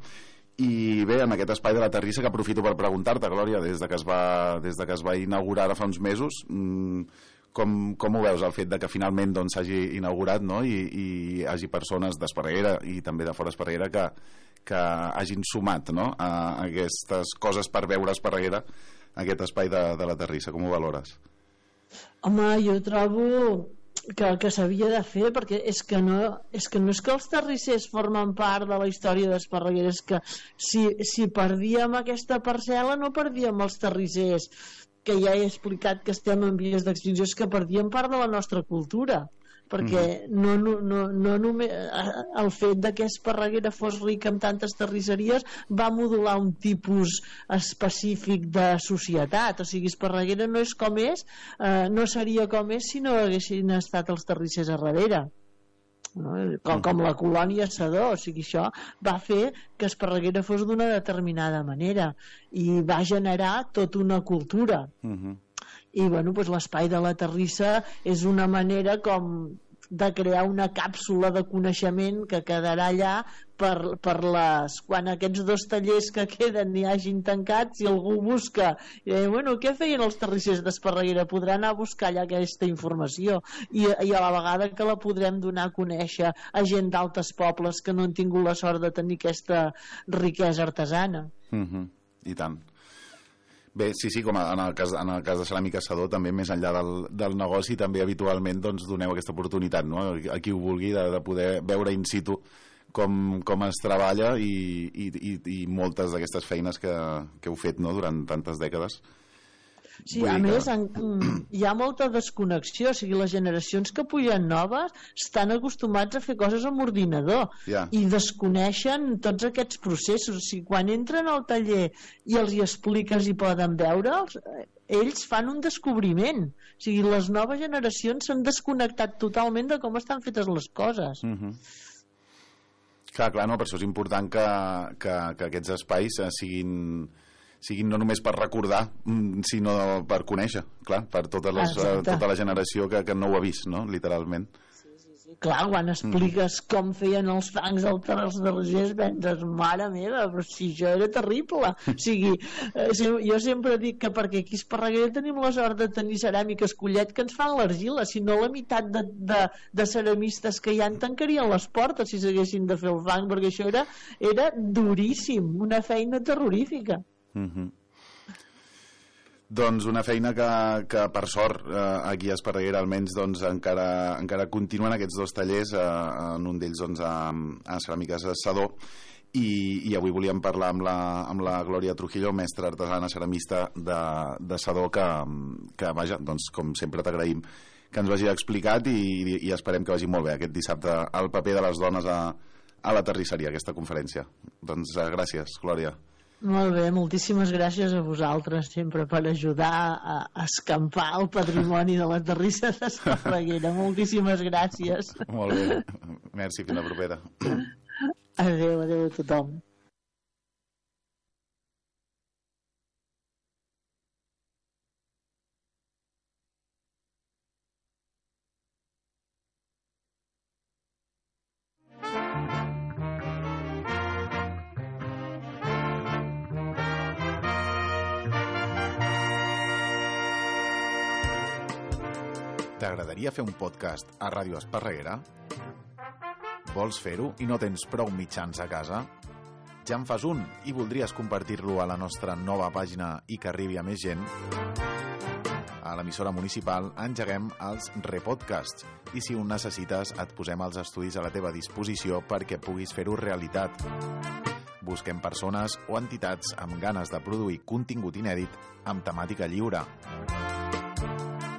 I bé, en aquest espai de la terrissa, que aprofito per preguntar-te, Glòria, des de que es va, des de que es va inaugurar ara fa uns mesos, mmm, com, com ho veus, el fet de que finalment doncs, s'hagi inaugurat, no? I, i hi hagi persones d'Esparreguera i també de fora Esparreguera que, que hagin sumat, no? a aquestes coses per veure Esparreguera, aquest espai de, de la terrissa. Com ho valores? Home, jo trobo que, que s'havia de fer, perquè és que, no, és que no és que els terrissers formen part de la història d'Esparreguera, és que si, si perdíem aquesta parcel·la no perdíem els terrissers, que ja he explicat que estem en vies d'extinció, és que perdíem part de la nostra cultura, perquè no, no, no, no només el fet de que Esparreguera fos ric amb tantes terrisseries va modular un tipus específic de societat. O sigui, Esparreguera no és com és, eh, no seria com és si no haguessin estat els terrissers a darrere, no? Com, com la colònia Sedó. O sigui, això va fer que Esparreguera fos d'una determinada manera i va generar tota una cultura. Uh-huh. I bueno, doncs l'espai de la terrissa és una manera com de crear una càpsula de coneixement que quedarà allà per, per les, quan aquests dos tallers que queden hi hagin tancats, si algú busca i, bueno, què feien els terrissers d'Esparreguera, podrà anar a buscar allà aquesta informació i, i a la vegada que la podrem donar a conèixer a gent d'altres pobles que no han tingut la sort de tenir aquesta riquesa artesana. Uh-huh. I tant. Bé, sí, sí, com en el cas, en el cas de Ceràmica Sedó, també més enllà del, del negoci, també habitualment doncs, doneu aquesta oportunitat, no? A qui ho vulgui, de, de poder veure in situ com, com es treballa i, i, i, i moltes d'aquestes feines que, que heu fet, no?, durant tantes dècades. Sí, a més, en, hi ha molta desconnexió, o sigui, les generacions que pugen noves estan acostumats a fer coses amb ordinador yeah. i desconeixen tots aquests processos. O sigui, quan entren al taller i els hi expliques i poden veure'ls, ells fan un descobriment. O sigui, les noves generacions s'han desconnectat totalment de com estan fetes les coses. Mm-hmm. Clar, clar, no, per això és important que, que, que aquests espais siguin... siguin no només per recordar, sinó per conèixer, clar, per totes les, tota la generació que, que no ho ha vist, no?, literalment. Sí, sí, sí. Clar, quan expliques mm. com feien els fangs als terrissers, penses, mare meva, però si això era terrible. O sigui, eh, jo sempre dic que perquè aquí a Esparreguera tenim la sort de tenir ceràmiques Collet que ens fan l'argila, si no la meitat de, de, de ceramistes que hi ha tancarien les portes si s'haguessin de fer el fang, perquè això era, era duríssim, una feina terrorífica. Mm-hmm. Doncs una feina que, que per sort eh, aquí a Esparreguera almenys doncs, encara, encara continuen aquests dos tallers, eh, en un d'ells doncs, a, a Ceràmiques Sedó, i, i avui volíem parlar amb la, amb la Glòria Trujillo, mestra artesana ceramista de, de Sedó, que, que vaja, doncs, com sempre t'agraïm que ens ho hagi explicat i, i, i esperem que vagi molt bé aquest dissabte el paper de les dones a, a la terrisseria, aquesta conferència. Doncs eh, gràcies, Glòria. Molt bé, moltíssimes gràcies a vosaltres sempre per ajudar a escampar el patrimoni de la terrissa d'Esparreguera. Moltíssimes gràcies. Molt bé, merci, fins la propera. Adéu, adéu a tothom. T'agradaria fer un podcast a Ràdio Esparreguera? Vols fer-ho i no tens prou mitjans a casa? Ja en fas un i voldries compartir-lo a la nostra nova pàgina i que arribi a més gent? A l'emissora municipal engeguem els repodcasts i si ho necessites et posem els estudis a la teva disposició perquè puguis fer-ho realitat. Busquem persones o entitats amb ganes de produir contingut inèdit amb temàtica lliure.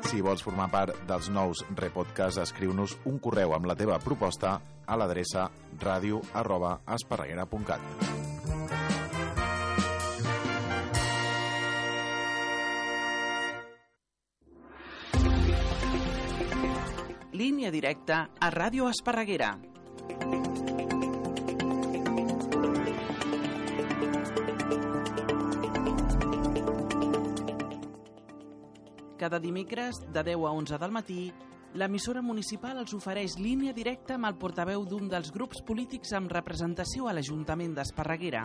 Si vols formar part dels nous repodcasts, escriu-nos un correu amb la teva proposta a l'adreça ràdio arroba esparreguera punt cat. Línia directa a Ràdio Esparreguera. Cada dimecres, de deu a onze del matí, l'emissora municipal els ofereix línia directa amb el portaveu d'un dels grups polítics amb representació a l'Ajuntament d'Esparreguera.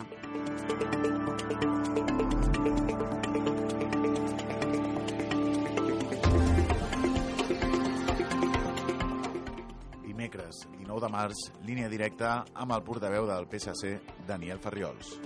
Dimecres, dinou de març, línia directa amb el portaveu del P S C, Daniel Farriols.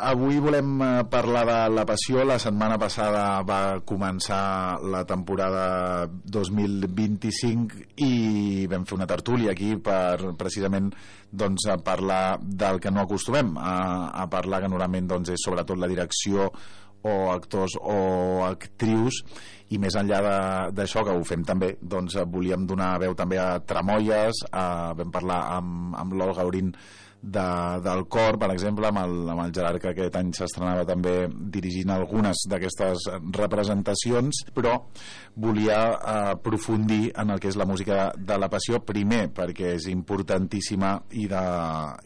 Avui volem parlar de La Passió. La setmana passada va començar la temporada dos mil vint-i-cinc i vam fer una tertúlia aquí per precisament doncs, a parlar del que no acostumem a, a parlar, que normalment doncs, és sobretot la direcció o actors o actrius, i més enllà d'això, que ho fem també, doncs volíem donar veu també a Tramoies, a, vam parlar amb, amb l'Olga Aurín de, del cor, per exemple, amb el, amb el Gerard, que aquest any s'estrenava també dirigint algunes d'aquestes representacions, però volia aprofundir en el que és la música de La Passió, primer perquè és importantíssima i de,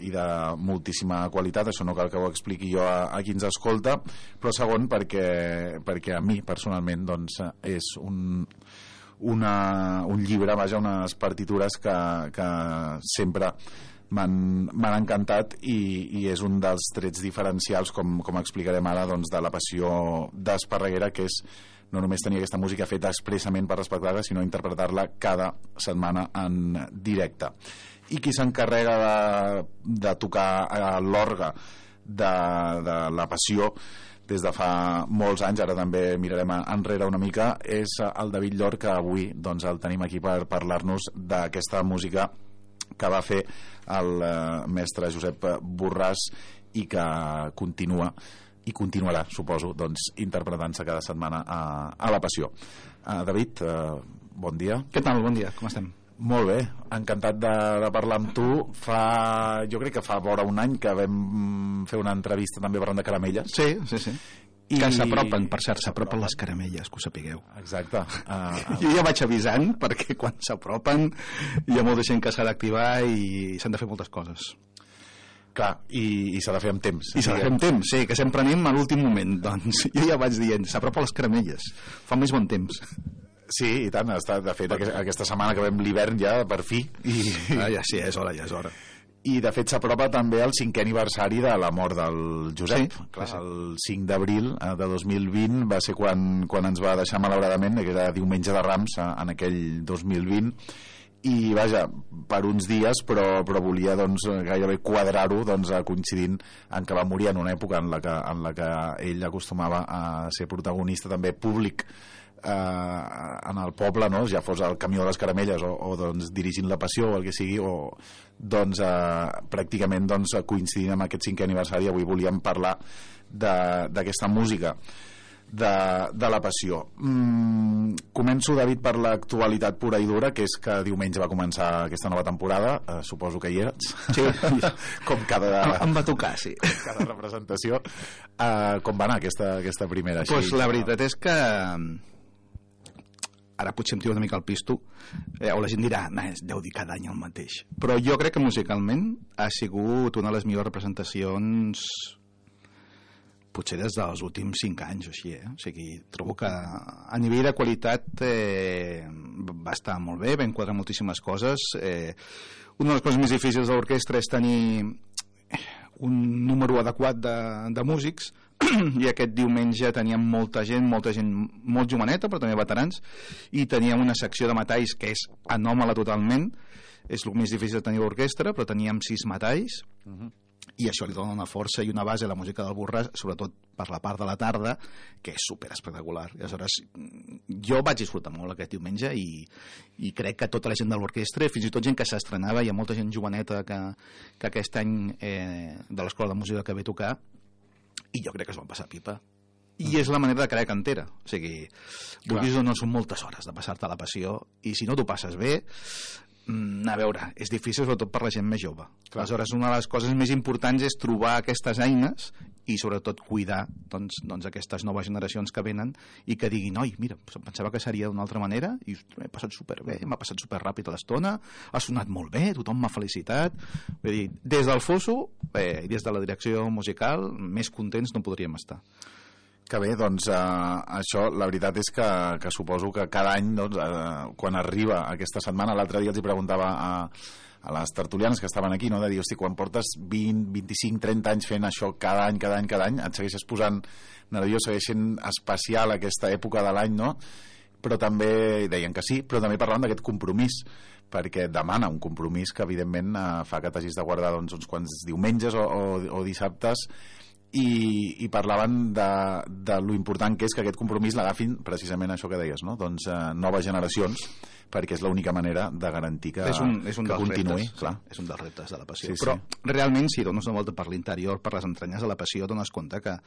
i de moltíssima qualitat, això no cal que ho expliqui jo a, a qui ens escolta, però segon perquè, perquè a mi personalment doncs, és un una, un llibre, vaja, unes partitures que, que sempre m'han encantat i, i és un dels trets diferencials, com, com explicarem ara, doncs, de La Passió d'Esparreguera, que és no només tenir aquesta música feta expressament per l'espectacle, sinó interpretar-la cada setmana en directe. I qui s'encarrega de, de tocar l'orgue de, de La Passió des de fa molts anys, ara també mirarem enrere una mica, és el David Llor, que avui doncs, el tenim aquí per parlar-nos d'aquesta música que va fer el eh, mestre Josep Borràs i que continua i continuarà, suposo, doncs, interpretant-se cada setmana a, a La Passió. Uh, David, uh, bon dia. Què tal? Bon dia, com estem? Molt bé, encantat de, de parlar amb tu. Fa, jo crec que fa vora un any que vam fer una entrevista també parlant de caramelles. Sí, sí, sí. I... que s'apropen, per cert, s'apropen les caramelles, que ho sapigueu. Exacte. Uh, uh... Jo ja vaig avisant, perquè quan s'apropen hi ha molta gent que s'ha d'activar i s'han de fer moltes coses. Clar, i, i s'ha de fer amb temps. I s'ha de fer amb temps, sí, que sempre anem a l'últim moment. Doncs jo ja vaig dient, s'apropen les caramelles, fa més bon temps. Sí, i tant, està, de fet, aquesta setmana que vam l'hivern ja, per fi. I... Ah, ja sí, és hora, ja és hora. I de fet s'apropa també el cinquè aniversari de la mort del Josep. Sí, clar, sí. El cinc d'abril de dos mil vint va ser quan, quan ens va deixar malauradament, que era diumenge de Rams en aquell dos mil vint, i vaja, per uns dies, però, però volia doncs, gairebé quadrar-ho doncs, coincidint en que va morir en una època en la que, en la que ell acostumava a ser protagonista també públic eh, en el poble, no? Ja fos el camió de les caramelles o, o doncs, dirigint La Passió o el que sigui, o doncs eh, pràcticament doncs, coincidint amb aquest cinquè aniversari. Avui volíem parlar d'aquesta música de, de La Passió. Mm, començo, David, per l'actualitat pura i dura, que és que diumenge va començar aquesta nova temporada. Eh, suposo que hi eres. Sí. Com cada... Em va tocar, sí. Cada representació. Eh, com va anar aquesta, aquesta primera? Doncs pues la veritat és que ara potser em tiro una mica al pisto, eh, o la gent dirà, nah, deu dir cada any el mateix, però jo crec que musicalment ha sigut una de les millors representacions potser des dels últims cinc anys o així, eh? O sigui, trobo que a nivell de qualitat eh, va estar molt bé, va enquadrar moltíssimes coses. Eh, una de les coses més difícils de l'orquestra és tenir un número adequat de, de músics, i aquest diumenge teníem molta gent, molta gent molt joveneta, però també veterans, i teníem una secció de metalls que és anòmala totalment, és el més difícil de tenir l'orquestra, però teníem sis metalls, uh-huh. i això li dona una força i una base a la música del Borràs, sobretot per la part de la tarda, que és super espectacular. I aleshores, jo vaig disfrutar molt aquest diumenge i, i crec que tota la gent de l'orquestra, fins i tot gent que s'estrenava, hi ha molta gent joveneta que, que aquest any eh, de l'Escola de Música que ve a tocar, i jo crec que es van passar pipa. I és la manera de crear cantera. O sigui, vulguis o no, són moltes hores de passar-te a la passió, i si no t'ho passes bé, a veure, és difícil sobretot per la gent més jove. Clar. Aleshores, una de les coses més importants és trobar aquestes eines i sobretot cuidar doncs, doncs aquestes noves generacions que venen i que diguin, oi, mira, pensava que seria d'una altra manera i m'he passat superbé, m'ha passat superràpid a l'estona, ha sonat molt bé, tothom m'ha felicitat. Vull dir, des del Fosso eh, i des de la direcció musical, més contents no podríem estar. Que bé, doncs eh, això, la veritat és que, que suposo que cada any, doncs, eh, quan arriba aquesta setmana, l'altre dia els hi preguntava a, a les tertulianes que estaven aquí, no? De dir, hosti, quan portes vint, vint-i-cinc, trenta anys fent això cada any, cada any, cada any, et segueixes posant nerviós, segueix sent especial aquesta època de l'any, no? Però també, deien que sí, però també parlant d'aquest compromís, perquè demana un compromís que evidentment eh, fa que t'hagis de guardar doncs, uns quants diumenges o, o, o dissabtes. I, i parlaven de, de lo important que és que aquest compromís l'agafin precisament això que deies, no? Doncs eh, noves generacions, perquè és l'única manera de garantir que, és un, és un que continuï. Reptes, clar. És un dels reptes de la passió. Sí, però sí. realment, si dones una volta per l'interior, per les entranyes de la passió, dones compte que,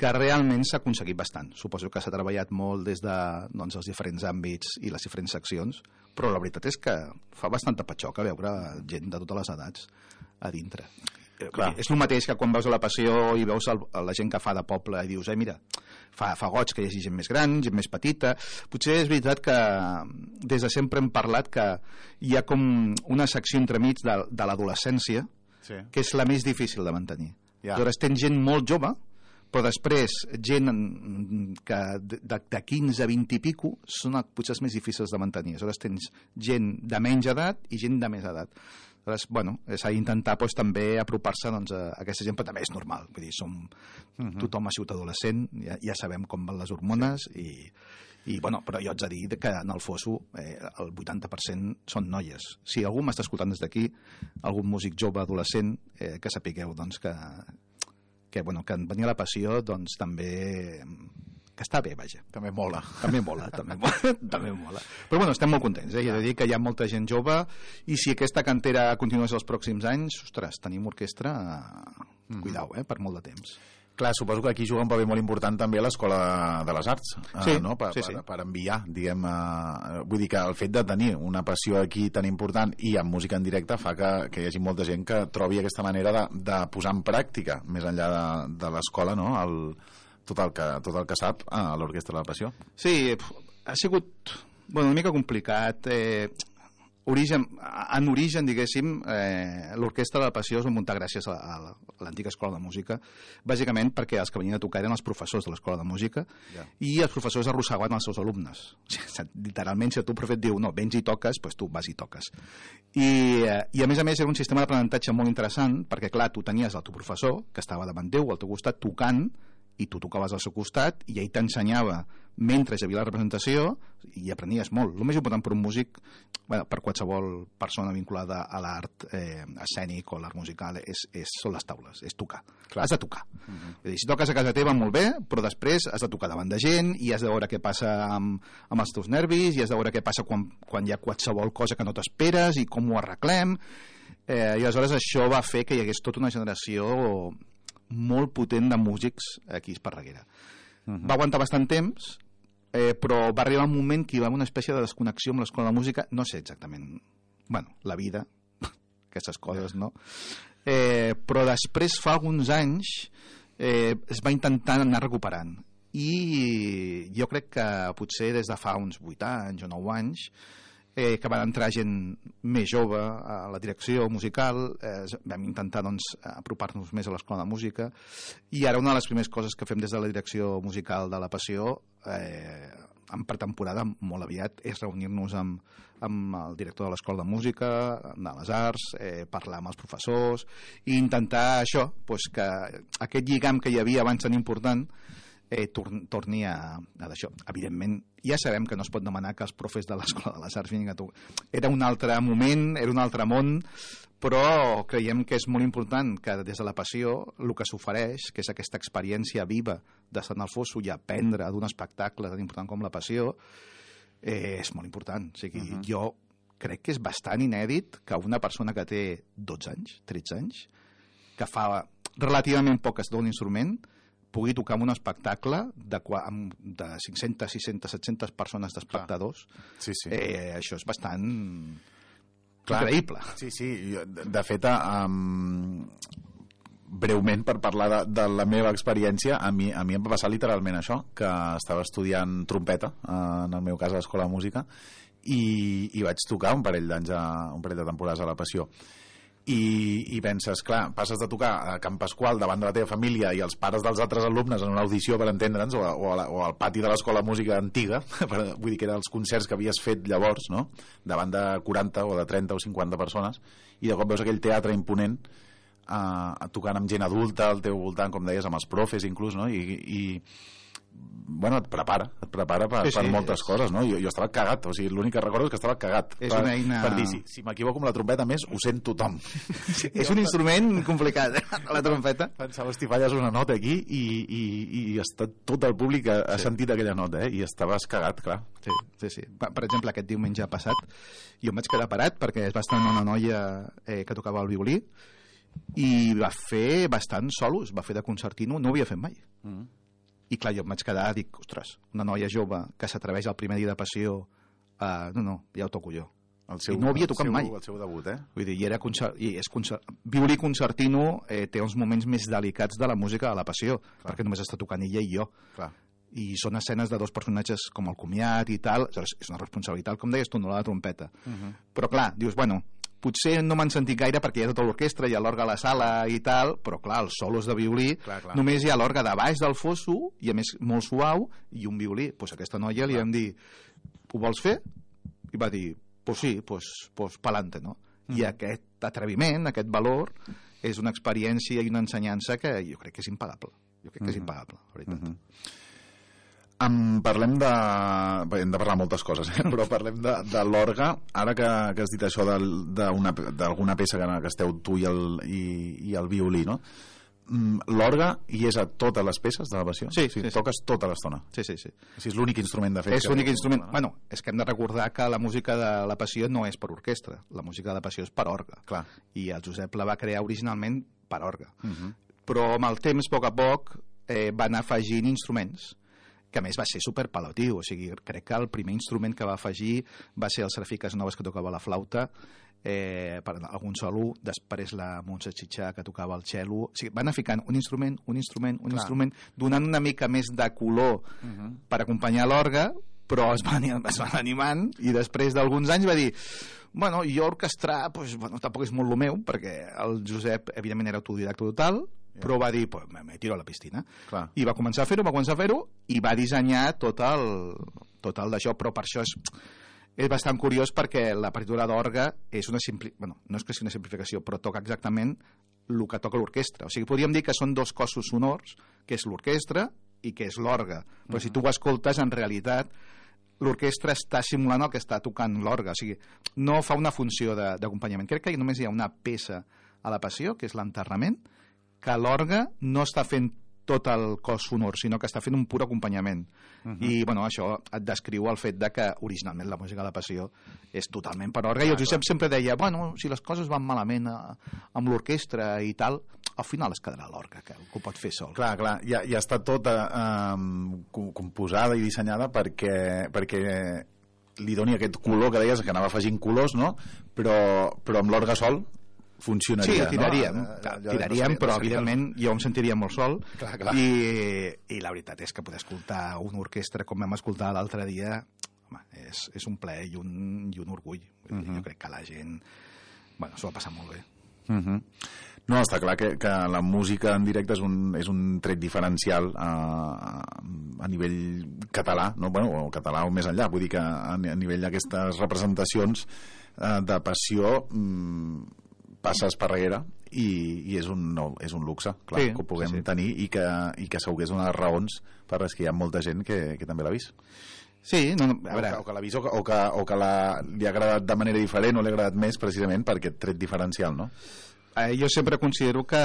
que realment s'ha aconseguit bastant. Suposo que s'ha treballat molt des de doncs, els diferents àmbits i les diferents seccions, però la veritat és que fa bastanta patxoca veure gent de totes les edats a dintre. Clar. És el mateix que quan veus a la passió i veus el, la gent que fa de poble i dius, eh, mira, fa, fa goig que hi hagi gent més gran, gent més petita. Potser és veritat que des de sempre hem parlat que hi ha com una secció entremig de, de l'adolescència, sí, que és la més difícil de mantenir. Ja. Aleshores tens gent molt jove, però després gent que de, de quinze a vint i pico són potser els més difícils de mantenir. Aleshores tens gent de menys edat i gent de més edat. Aleshores, bueno, s'ha d'intentar doncs, també apropar-se doncs, a aquesta gent, però també és normal. Vull dir, som, uh-huh. tothom ha sigut adolescent, ja, ja sabem com van les hormones, sí. i, i, bueno, però jo haig de dir que en el Fosso eh, el vuitanta per cent són noies. Si algú m'està escoltant des d'aquí, algun músic jove, adolescent, eh, que sapigueu doncs, que, que, bueno, que en venir a la passió doncs, també... que està bé, vaja. També mola. També mola, també mola. també mola. Però bueno, estem molt contents, eh? He de dir que hi ha molta gent jove i si aquesta cantera continués els pròxims anys, ostres, tenim orquestra, mm. cuidao, eh? Per molt de temps. Clar, suposo que aquí juga un paper molt important també a l'Escola de les Arts, sí, eh, no? per, sí, sí. Per, per enviar, diguem, eh, vull dir que el fet de tenir una passió aquí tan important i amb música en directe fa que, que hi hagi molta gent que trobi aquesta manera de, de posar en pràctica, més enllà de, de l'escola, no? El, tot, el que, tot el que sap a l'Orquestra de la Passió. Sí, ha sigut bueno, una mica complicat. Eh, origen, en origen, diguéssim, eh, l'Orquestra de la Passió es va muntar gràcies a, a l'antiga Escola de Música, bàsicament perquè els que venien a tocar eren els professors de l'Escola de Música, yeah. i els professors arrossegaven els seus alumnes. O sigui, literalment, si el teu profe et diu no, vens i toques, doncs tu vas i toques. I, eh, i a més a més era un sistema d'aprenentatge molt interessant, perquè clar, tu tenies el teu professor, que estava davant teu, al teu costat, tocant, i tu tocaves al seu costat i ell t'ensenyava mentre hi havia la representació i aprenies molt. El més important per un músic, bueno, per qualsevol persona vinculada a l'art eh, escènic o l'art musical és, és, són les taules, és tocar. Clar. Has de tocar. Uh-huh. És dir, si toques a casa teva molt bé, però després has de tocar davant de gent i has de veure què passa amb, amb els teus nervis i has de veure què passa quan, quan hi ha qualsevol cosa que no t'esperes i com ho arreglem. Eh, I aleshores això va fer que hi hagués tota una generació molt potent de músics aquí a Esparreguera. Uh-huh. Va aguantar bastant temps, eh, però va arribar un moment que hi va haver una espècie de desconnexió amb l'Escola de Música, no sé exactament, bueno, la vida, aquestes coses, no? Eh, però després, fa alguns anys, eh, es va intentar anar recuperant. I jo crec que potser des de fa uns vuit anys o nou anys, Eh, que van entrar gent més jove a la direcció musical, eh, vam intentar doncs, apropar-nos més a l'Escola de Música i ara una de les primeres coses que fem des de la direcció musical de la Passió eh, en pretemporada molt aviat és reunir-nos amb, amb el director de l'Escola de Música, de les Arts, eh, parlar amb els professors i intentar això, doncs, que aquest lligam que hi havia abans tan important Eh, torni, torni a, a d'això. Evidentment, ja sabem que no es pot demanar que els profes de l'Escola de les Arts vinguin a tocar. Era un altre moment, era un altre món, però creiem que és molt important que des de la Passió el que s'ofereix, que és aquesta experiència viva d'estar en el Fosso i aprendre d'un espectacle tan important com la Passió, eh, és molt important. O sigui, uh-huh. Jo crec que és bastant inèdit que una persona que té dotze anys, tretze anys, que fa relativament poc es dona un instrument, pugui tocar en un espectacle de, de cinc-centes, sis-centes, set-centes persones d'espectadors, sí, sí. Eh, això és bastant Clar. increïble. Sí, sí, de fet, um, breument, per parlar de, de la meva experiència, a mi, a mi em va passar literalment això, que estava estudiant trompeta, uh, en el meu cas a l'Escola de Música, i, i vaig tocar un parell d'anys, un parell de temporades a la Passió. I, i penses, clar, passes de tocar a Can Pasqual davant de la teva família i els pares dels altres alumnes en una audició, per entendre'ns, o, a, o, a la, o al pati de l'Escola de Música antiga, per, vull dir que eren els concerts que havies fet llavors, no?, davant de quaranta o de trenta o cinquanta persones, i de cop veus aquell teatre imponent eh, tocant amb gent adulta al teu voltant, com deies, amb els profes inclús, no?, i, i bueno, et prepara, et prepara per, sí, sí, per moltes és... coses, no? Jo, jo estava cagat, o sigui, l'únic que recordo és que estava cagat. És per, una eina... per dir, si, si m'equivoco amb la trompeta, més, ho sent tothom. Sí, és un instrument complicat, eh? La trompeta. Pensava, hosti, falles una nota aquí i, i, i està, tot el públic ha, ha sí. sentit aquella nota, eh? I estaves cagat, clar. Sí, sí, sí. Per exemple, aquest diumenge passat, jo em vaig quedar parat perquè es va estar una noia eh, que tocava el violí i va fer bastants solos, va fer de concertino, no ho havia fet mai. Mm. I clar, jo em vaig quedar, dic, ostres, una noia jove que s'atreveix al primer dia de passió, uh, no, no, ja ho toco jo. El seu, I no ho havia tocat el seu, mai. El seu debut, eh? Vull dir, i era concert, i és concert, violí concertino eh, té uns moments més delicats de la música de la passió, clar. Perquè només està tocant ella i jo. Clar. I són escenes de dos personatges com el comiat i tal, és una responsabilitat, com deies tu, no la trompeta. Uh -huh. Però clar, dius, bueno, potser no m'han sentit gaire perquè hi ha tota l'orquestra, hi ha l'orgue a la sala i tal, però clar, els solos de violí, clar, clar. Només hi ha l'orgue de baix del fosso, i a més molt suau, i un violí. Doncs pues a aquesta noia li vam dir, ho vols fer? I va dir, pues sí, pues, pues pa'lante, no? Mm. I aquest atreviment, aquest valor, és una experiència i una ensenyança que jo crec que és impagable. Jo crec que és impagable, la veritat. Mm -hmm. Um, parlem de... Hem de parlar moltes coses, eh? Però parlem de, de l'orgue. Ara que, que has dit això d'alguna peça que, que esteu tu i el, i, i el violí, no? Um, l'orgue hi és a totes les peces de la passió? Sí, o sigui, sí, toques sí. tota l'estona? Sí, sí, sí. O sigui, és l'únic instrument de fet? És l'únic instrument... No? Bueno, és que hem de recordar que la música de la passió no és per orquestra. La música de la passió és per orgue. Clar. I el Josep la va crear originalment per orgue. Uh -huh. Però amb el temps, a poc a poc, eh, va anar afegint instruments, que a més va ser superpalatiu, o sigui, crec que el primer instrument que va afegir va ser el Serafí Casanovas, que tocava la flauta, eh, per algun solo, després la Montse Xitxà, que tocava el cello, o sigui, van anar ficant un instrument, un instrument, un Clar. instrument, donant una mica més de color uh -huh. per acompanyar l'orgue, però es van, es van animant, i després d'alguns anys va dir, bueno, jo orquestrar, pues, bueno, tampoc és molt el meu, perquè el Josep, evidentment, era autodidacta total, però va dir, pues, me, me tiro a la piscina. Clar. I va començar a fer-ho, va començar a fer-ho, i va dissenyar tot el, tot el d'això, però per això és, és bastant curiós, perquè la partitura d'orgue és una simpli... bueno, no és que sigui una simplificació, però toca exactament el que toca l'orquestra. O sigui, podríem dir que són dos cossos sonors, que és l'orquestra i que és l'orgue. Però uh -huh. si tu ho escoltes, en realitat, l'orquestra està simulant el que està tocant l'orgue. O sigui, no fa una funció d'acompanyament. Crec que només hi ha una peça a la passió, que és l'enterrament, que l'orgue no està fent tot el cos sonor, sinó que està fent un pur acompanyament. Uh -huh. I, bueno, això et descriu el fet de que originalment la música de la passió és totalment per orgue. I el Josep sempre deia, bueno, si les coses van malament a, amb l'orquestra i tal, al final es quedarà l'orgue, que, que ho pot fer sol. Clar, clar, ja, ja està tota eh, composada i dissenyada perquè, perquè li doni aquest color que deies, que anava afegint colors, no? Però, però amb l'orgue sol funcionaria, sí, tiraríem, no? clar, tiraríem, però evidentment jo em sentiria molt sol, clar, clar. I, i la veritat és que poder escoltar una orquestra com vam escoltar l'altre dia, home, és, és un plaer i un, i un orgull. Uh -huh. Jo crec que la gent, bueno, s'ho va passar molt bé. Uh -huh. No, està clar que, que la música en directe és un, és un tret diferencial a, a nivell català, no? Bueno, o català o més enllà, vull dir que a, a nivell d'aquestes representacions eh, de passió mmm, passes per darrere i, i és, un, no, és un luxe, clar, sí, que ho puguem sí, sí. tenir i que, i que segur que és una de les raons per les que hi ha molta gent que, que també l'ha vist. Sí, no, no, a veure... O que, o que l'ha vist o que, o que, o que la, li ha agradat de manera diferent o li ha agradat més precisament per aquest tret diferencial, no? Eh, jo sempre considero que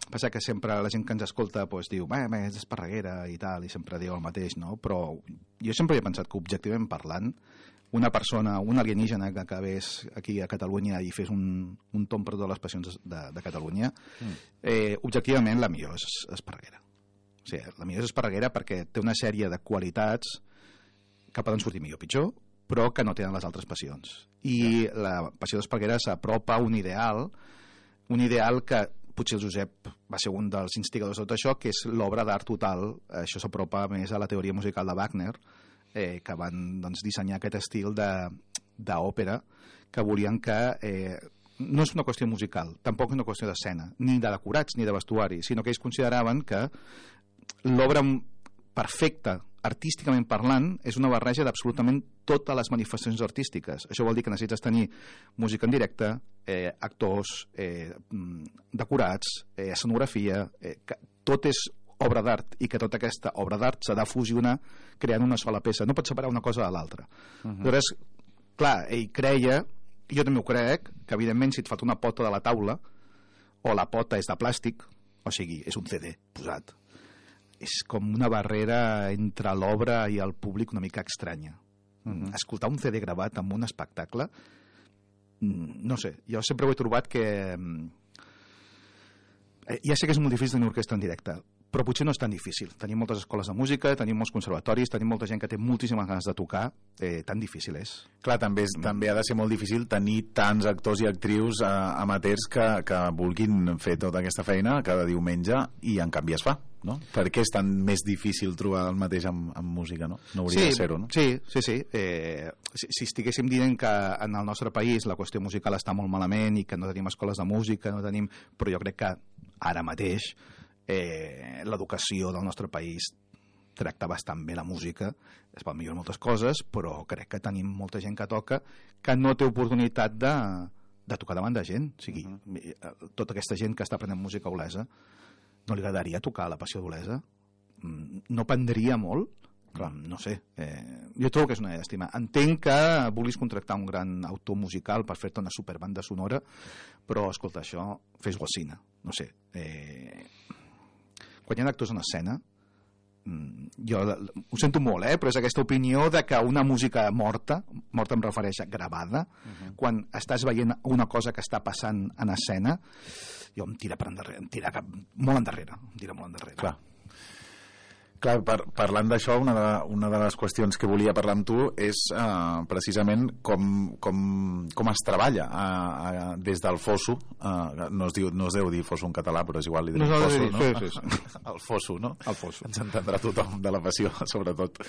passa que sempre la gent que ens escolta pues, diu, bé, és d'Esparreguera i tal, i sempre diu el mateix, no? Però jo sempre he pensat que objectivament parlant, una persona, un alienígena que acabés aquí a Catalunya i fes un, un tom per totes les passions de, de Catalunya, mm. eh, objectivament la millor és Esparreguera. O sigui, la millor és Esparreguera perquè té una sèrie de qualitats que poden sortir millor o pitjor, però que no tenen les altres passions. I la passió d'Esparreguera s'apropa a un ideal, un ideal que potser el Josep va ser un dels instigadors de tot això, que és l'obra d'art total. Això s'apropa més a la teoria musical de Wagner, eh, que van doncs, dissenyar aquest estil d'òpera, que volien que... Eh, no és una qüestió musical, tampoc és una qüestió d'escena, ni de decorats ni de vestuari, sinó que ells consideraven que l'obra perfecta, artísticament parlant, és una barreja d'absolutament totes les manifestacions artístiques. Això vol dir que necessites tenir música en directe, eh, actors, eh, decorats, eh, escenografia, eh, que tot és obra d'art i que tota aquesta obra d'art s'ha de fusionar creant una sola peça. No pots separar una cosa de l'altra. Uh-huh. Llavors, clar, ell creia, jo també ho crec, que evidentment si et falta una pota de la taula o la pota és de plàstic, o sigui, és un C D posat, és com una barrera entre l'obra i el públic una mica estranya. Mm-hmm. Escoltar un C D gravat en un espectacle, no sé, jo sempre ho he trobat que... Ja sé que és molt difícil tenir orquestra en directe, però potser no és tan difícil. Tenim moltes escoles de música, tenim molts conservatoris, tenim molta gent que té moltíssimes ganes de tocar, eh, tan difícil és. Clar, també, és, també ha de ser molt difícil tenir tants actors i actrius eh, amateurs que, que vulguin fer tota aquesta feina cada diumenge i en canvi es fa, no? Per què és tan més difícil trobar el mateix amb, amb música, no? No hauria sí, de ser-ho, no? Sí, sí, sí. Eh, si, si estiguéssim dient que en el nostre país la qüestió musical està molt malament i que no tenim escoles de música, no tenim... però jo crec que ara mateix eh, l'educació del nostre país tracta bastant bé la música, es pot millorar moltes coses, però crec que tenim molta gent que toca que no té oportunitat de, de tocar davant de gent. O sigui, uh-huh. tota aquesta gent que està aprenent música olesa no li agradaria tocar la passió d'Olesa? No prendria molt? Clar, no sé. Eh, jo trobo que és una llàstima. Entenc que vulguis contractar un gran autor musical per fer-te una superbanda sonora, però, escolta, això, fes-ho al cine. No sé. Eh, quan hi ha actors en escena, jo ho sento molt, eh? Però és aquesta opinió de que una música morta, morta em refereix a gravada, uh-huh. quan estàs veient una cosa que està passant en escena, jo em tira per endarrere, em tira cap, molt endarrere, em tira molt endarrere. Clar. Clar, par parlant d'això, una, de, una de les qüestions que volia parlar amb tu és uh, precisament com, com, com es treballa uh, uh, des del fosso, uh, no, es diu, no es deu dir fosso en català, però és igual, li direm no, fosso, dir, no? Sí, sí, sí. El fosso, no? El fosso. Ens entendrà tothom de la passió, sobretot.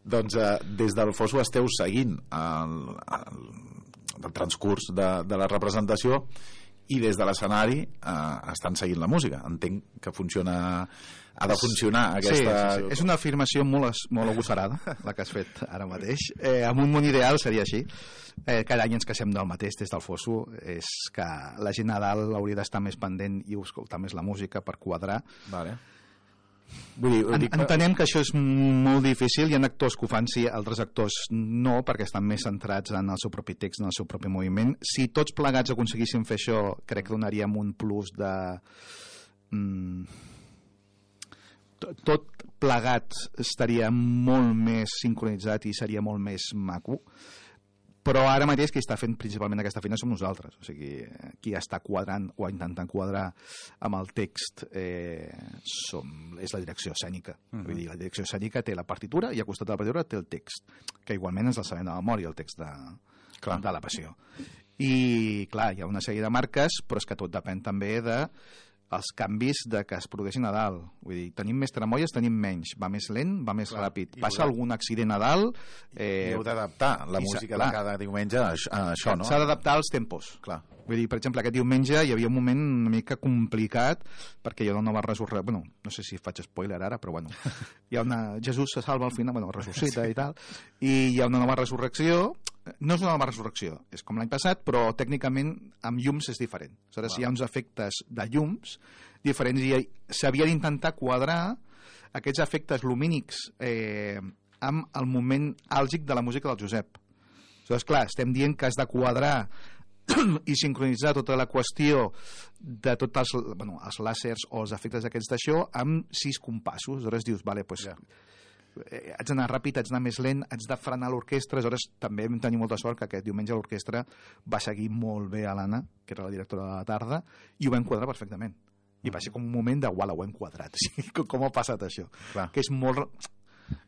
Doncs uh, des del fosso esteu seguint el, el, el transcurs de, de la representació i des de l'escenari eh, estan seguint la música. Entenc que funciona, ha de funcionar aquesta... Sí, sí, sí. És una afirmació molt, molt agosarada, la que has fet ara mateix. Eh, amb un món ideal seria així. Eh, cada any ens queixem del mateix des del fosso. És que la gent a dalt hauria d'estar més pendent i escoltar més la música per quadrar. Vale. Vull dir, en, entenem que això és molt difícil. Hi ha actors que ho fan, sí, altres actors no, perquè estan més centrats en el seu propi text, en el seu propi moviment. Si tots plegats aconseguíssim fer això, crec que donaríem un plus de... Mm, tot, tot plegat estaria molt més sincronitzat i seria molt més maco. Però ara mateix qui està fent principalment aquesta feina som nosaltres, o sigui, qui està quadrant o intentant quadrar amb el text eh, som, és la direcció escènica. Uh-huh. Vull dir, la direcció escènica té la partitura i al costat de la partitura té el text, que igualment ens el sabem de memòria, el text de, de la passió. I clar, hi ha una sèrie de marques, però és que tot depèn també de els canvis de que es produeixin a dalt. Vull dir, tenim més tramolles, tenim menys. Va més lent, va més clar, ràpid. Passa de... algun accident a dalt... Eh... I heu d'adaptar la música de cada diumenge a, a això, no? S'ha d'adaptar als tempos. Clar. Vull dir, per exemple, aquest diumenge hi havia un moment una mica complicat perquè hi ha una nova resurrecció... Bueno, no sé si faig spoiler ara, però bueno. Hi ha una... Jesús se salva al final, bueno, ressuscita i tal, i hi ha una nova resurrecció. No és una nova resurrecció, és com l'any passat, però tècnicament amb llums és diferent. Aleshores, wow. Hi ha uns efectes de llums diferents i s'havia d'intentar quadrar aquests efectes lumínics eh, amb el moment àlgic de la música del Josep. Aleshores, clar, estem dient que has de quadrar i sincronitzar tota la qüestió de tots els, bueno, els làsers o els efectes aquests d'això amb sis compassos. Aleshores dius, vale, doncs... Yeah. Haig d'anar ràpid, haig d'anar més lent, haig de frenar l'orquestra. Aleshores també vam tenir molta sort que aquest diumenge l'orquestra va seguir molt bé a l'Anna, que era la directora de la tarda, i ho vam quadrar perfectament. I va ser com un moment de, uala, ho hem quadrat. O sigui, com ha passat això? Clar. Que és molt...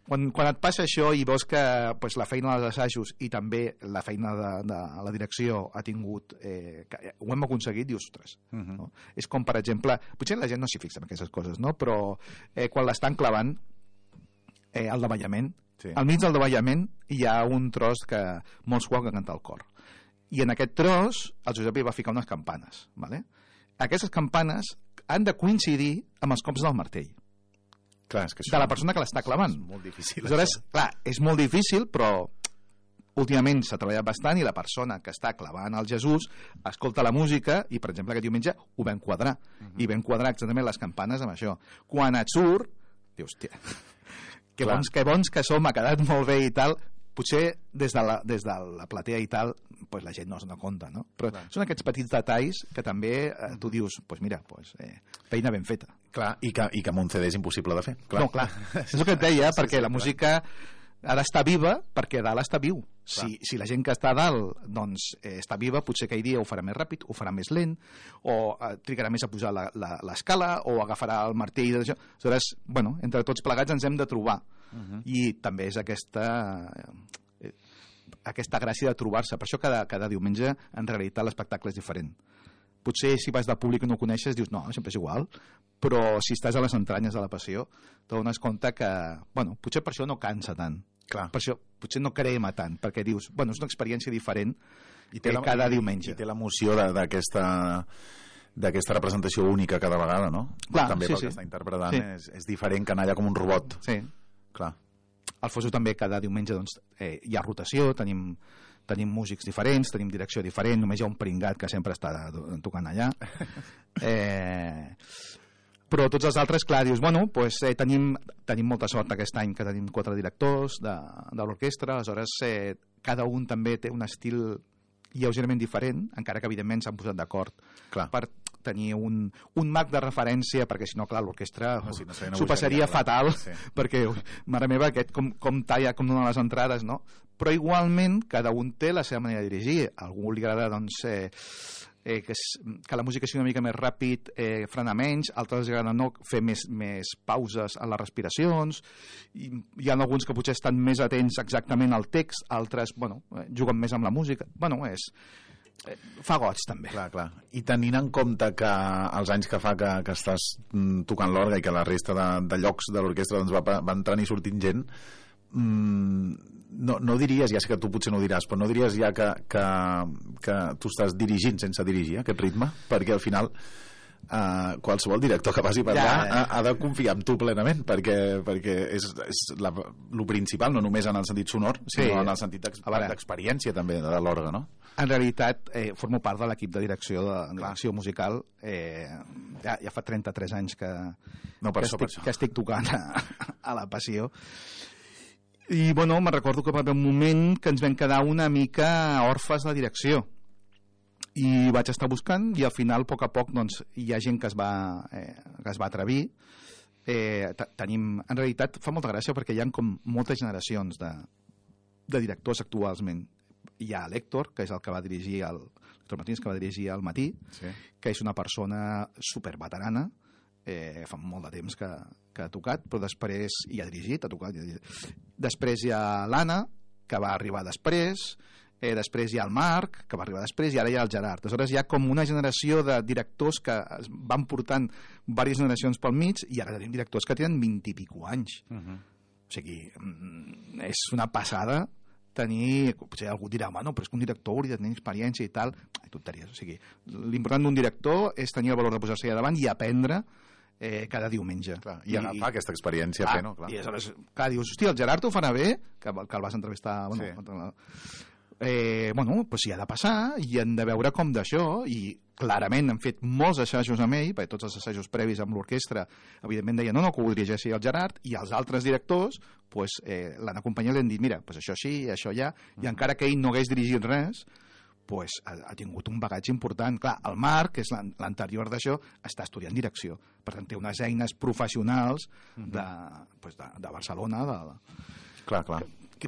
Quan, quan et passa això i veus que pues, la feina dels assajos i també la feina de, de la direcció ha tingut... Eh, que ho hem aconseguit, dius, ostres. Uh -huh. No? És com, per exemple... Potser la gent no s'hi fixa en aquestes coses, no? Però eh, quan l'estan clavant, eh, el davallament, sí. Al mig del davallament hi ha un tros que molts juguen a cantar el cor. I en aquest tros el Josep hi va ficar unes campanes. ¿Vale? Aquestes campanes han de coincidir amb els cops del martell. Clar, és que de la persona que l'està clavant. És molt difícil. Aleshores, clar, és molt difícil, però últimament s'ha treballat bastant i la persona que està clavant el Jesús escolta la música i, per exemple, aquest diumenge ho vam quadrar. Uh -huh. I vam quadrar exactament les campanes amb això. Quan et surt, dius, hòstia, que bons, que bons que som, ha quedat molt bé i tal. Potser des de la, des de la platea i tal, pues la gent no se'n compta, no? Però clar, són aquests petits detalls que també eh, tu dius, pues mira, pues, eh, feina ben feta. Clar, i que, i que amb un C D és impossible de fer. Clar. No, clar, és el que et deia, sí, perquè sí, la música ha d'estar viva perquè dalt està viu. Si, si la gent que està a dalt doncs, eh, està viva, potser aquell dia ho farà més ràpid, ho farà més lent, o eh, trigarà més a pujar l'escala, o agafarà el martell d'això. Aleshores, bueno, entre tots plegats ens hem de trobar. Uh-huh. I també és aquesta eh, aquesta gràcia de trobar-se. Per això cada, cada diumenge en realitat l'espectacle és diferent. Potser si vas de públic i no ho coneixes dius, no, sempre és igual, però si estàs a les entranyes de la passió t'adones compte que, bueno, potser per això no cansa tant. Clar. Per això potser no crema tant, perquè dius, bueno, és una experiència diferent i té la, cada i, diumenge. I té l'emoció d'aquesta d'aquesta representació única cada vegada, no? Clar, també sí, pel sí. que està interpretant sí. és, és diferent que anar allà com un robot. Sí. Clar. Al Fosso també cada diumenge doncs, eh, hi ha rotació, tenim, tenim músics diferents, tenim direcció diferent, només hi ha un pringat que sempre està tocant allà. Eh, però tots els altres, clar, dius, bueno, pues, eh, tenim, tenim molta sort aquest any que tenim quatre directors de, de l'orquestra, aleshores eh, cada un també té un estil lleugerament diferent, encara que evidentment s'han posat d'acord per tenir un, un marc de referència, perquè si no, clar, l'orquestra no, si no s'ho passaria clar. fatal, sí. perquè, mare meva, aquest com, com talla, com donen les entrades, no? Però igualment cada un té la seva manera de dirigir. A algú li agrada, doncs, eh, eh, que, es, que la música sigui una mica més ràpid, eh, frenar menys, altres li agrada no fer més, més pauses en les respiracions, i hi ha alguns que potser estan més atents exactament al text, altres, bueno, juguen més amb la música. Bueno, és... fa goig també. Clar, clar. I tenint en compte que els anys que fa que, que estàs tocant l'orga i que la resta de, de llocs de l'orquestra doncs, va, va entrant i sortint gent, mmm, no, no diries, ja sé que tu potser no ho diràs, però no diries ja que, que, que tu estàs dirigint sense dirigir aquest ritme? Perquè al final Uh, qualsevol director que passi per allà ja, ha, ha de confiar en tu plenament perquè, perquè és, és la, lo principal, no només en el sentit sonor sinó sí. en el sentit d'experiència també de l'orga, no? En realitat eh, formo part de l'equip de direcció de, de direcció musical eh, ja, ja fa trenta-tres anys que, no, per que, això, estic, per això. que estic tocant a, a la passió i bueno, me'n recordo que va haver un moment que ens vam quedar una mica orfes de direcció i vaig estar buscant i al final, a poc a poc, doncs, hi ha gent que es va, eh, que es va atrevir. Eh, tenim, en realitat, fa molta gràcia perquè hi ha com moltes generacions de, de directors actualment. Hi ha l'Héctor, que és el que va dirigir el Héctor Martínez, que va dirigir al Matí, sí. que és una persona superveterana, eh, fa molt de temps que, que ha tocat, però després hi ha dirigit, ha tocat. Ha dirigit. Després hi ha l'Anna, que va arribar després, Eh, després hi ha el Marc, que va arribar després, i ara hi ha el Gerard. Aleshores hi ha com una generació de directors que es van portant diverses generacions pel mig, i ara tenim directors que tenen vint i pico anys. Uh -huh. O sigui, és una passada tenir... Potser algú dirà, bueno, però és que un director hauria de tenir experiència i tal. Ai, tonteries. O sigui, l'important d'un director és tenir el valor de posar-se allà davant i aprendre eh, cada diumenge. Clar, I agafar I, aquesta experiència clar, fent-ho. Clar. I aleshores, clar, dius, hòstia, el Gerard ho farà bé, que, que el vas entrevistar... Bueno, sí. Eh, bueno, pues hi ha de passar i hem de veure com d'això i clarament hem fet molts assajos amb ell perquè tots els assajos previs amb l'orquestra evidentment deien no, no, que ho dirigeixi el Gerard i els altres directors pues, eh, l'han acompanyat i l'han dit mira, pues això sí, això ja i mm. encara que ell no hagués dirigit res pues, ha, ha tingut un bagatge important. Clar, el Marc, que és l'anterior d'això, està estudiant direcció, per tant té unes eines professionals mm-hmm. de, pues, de, de Barcelona de, de... clar, clar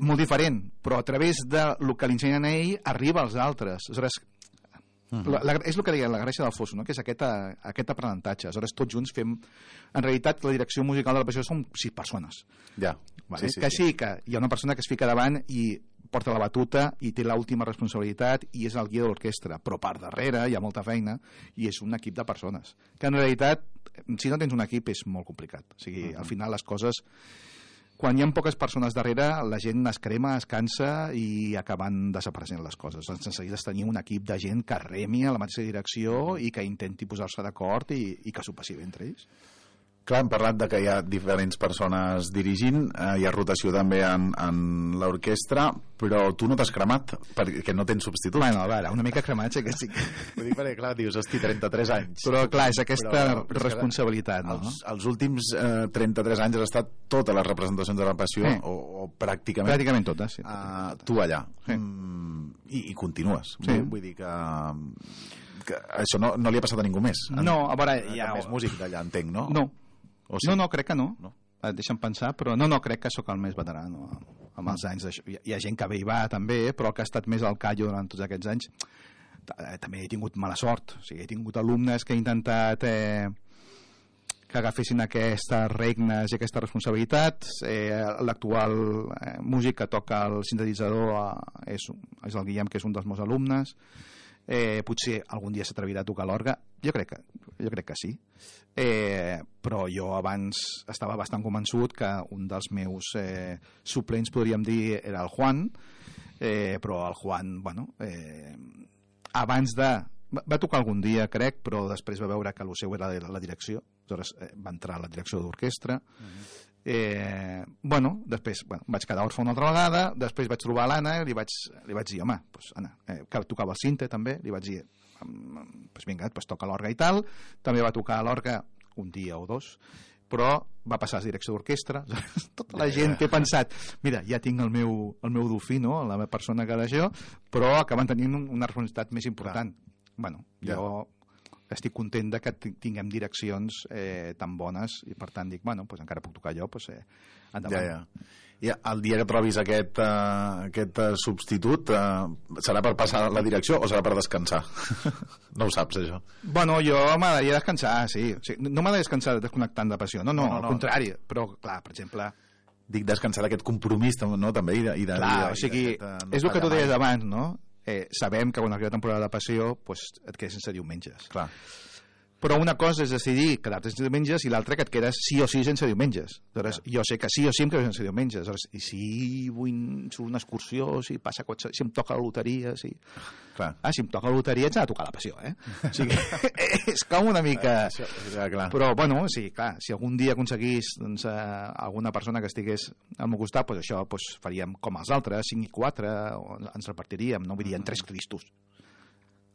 molt diferent, però a través del que li ensenyen a ell arriba als altres. Aleshores, Uh-huh. La, la, és el que deia la gràcia del Fosso, no? Que és aquest, a, aquest aprenentatge. Aleshores, tots junts fem... En realitat, la direcció musical de la passió són sis persones. Ja. Vale? Sí, sí, que sí. sí, que hi ha una persona que es fica davant i porta la batuta i té l'última responsabilitat i és el guia de l'orquestra, però per darrere hi ha molta feina i és un equip de persones. Que en realitat, si no tens un equip, és molt complicat. O sigui, uh-huh. al final les coses... Quan hi ha poques persones darrere, la gent es crema, es cansa i acaben desapareixent les coses. Doncs necessites tenir un equip de gent que remi a la mateixa direcció i que intenti posar-se d'acord i, i que s'ho passi bé entre ells. Clar, hem parlat de que hi ha diferents persones dirigint, eh, hi ha rotació també en, en l'orquestra, però tu no t'has cremat perquè no tens substitut. Bueno, a veure, una mica cremat sí que sí. Vull dir, perquè clar, dius, hosti, trenta-tres anys. Però clar, és aquesta però, però responsabilitat, no? Els, els últims eh, trenta-tres anys has estat totes les representacions de la passió, sí. o, o pràcticament... Pràcticament totes, sí. Uh, tu allà. Sí. Mm, i, I continues. Sí. Vull dir que... que això no, no li ha passat a ningú més. No, a veure... Hi Ja... ha més músic d'allà, entenc, no? No. O sí? No, no, crec que no. no. Et deixa'm pensar, però no, no, crec que sóc el més veterà, no? Amb els anys d'això. Hi, hi ha gent que ve i va, també, però el que ha estat més al callo durant tots aquests anys també he tingut mala sort. O sigui, he tingut alumnes que he intentat eh, que agafessin aquestes regnes i aquestes responsabilitats. Eh, L'actual eh, músic que toca el sintetitzador eh, és, és el Guillem, que és un dels meus alumnes. Eh, potser algun dia s'atrevirà a tocar l'orgue. Jo crec que, jo crec que sí. Eh, però jo abans estava bastant convençut que un dels meus eh, suplents, podríem dir, era el Juan, eh, però el Juan, bueno, eh, abans de... Va tocar algun dia, crec, però després va veure que el seu era la direcció, aleshores eh, va entrar a la direcció d'orquestra. Uh-huh. Eh, bueno, després bueno, vaig quedar orfe una altra vegada, després vaig trobar l'Anna i li vaig, li vaig dir, home, pues, Anna, eh, que tocava el sinte també, li vaig dir, pues, vinga, pues, toca l'orgue i tal. També va tocar l'orgue un dia o dos, però va passar a la direcció d'orquestra. Tota la gent que he pensat, mira, ja tinc el meu, el meu dofí, no? La meva persona que d'això, però acaben tenint una responsabilitat més important. Bueno, ja. jo estic content de que tinguem direccions eh, tan bones i per tant dic, bueno, pues encara puc tocar jo, pues, eh, endavant. Ja, ja. I el dia que trobis aquest, uh, aquest uh, substitut uh, serà per passar la direcció o serà per descansar? No ho saps, això. Bueno, jo m'agradaria descansar, sí. O sigui, no m'agradaria descansar desconnectant de passió, no, no, no, no al no. contrari, però clar, per exemple... Dic descansar d'aquest compromís, no, també, i de... I de clar, i de, o sigui, i de, no és el que tu deies mai. abans, no? Eh, sabem que quan arriba la temporada de passió pues, et quedes sense diumenges. Clar. Però una cosa és decidir quedar-te sense diumenges i l'altra que et quedes sí o sí sense diumenges. Aleshores, ja. Jo sé que sí o sí em quedo sense diumenges. Aleshores, i si vull surt una excursió, si passa qualsevol, si em toca la loteria, si... Clar. Ah, si em toca la loteria ets a tocar la passió, eh? O sigui, és com una mica... Ah, això, ja, clar. Però, bueno, sí, clar, si algun dia aconseguís doncs, eh, alguna persona que estigués al meu costat, doncs això doncs, faríem com els altres, cinc i quatre, ens repartiríem, no? Vull dir, en tres Cristos.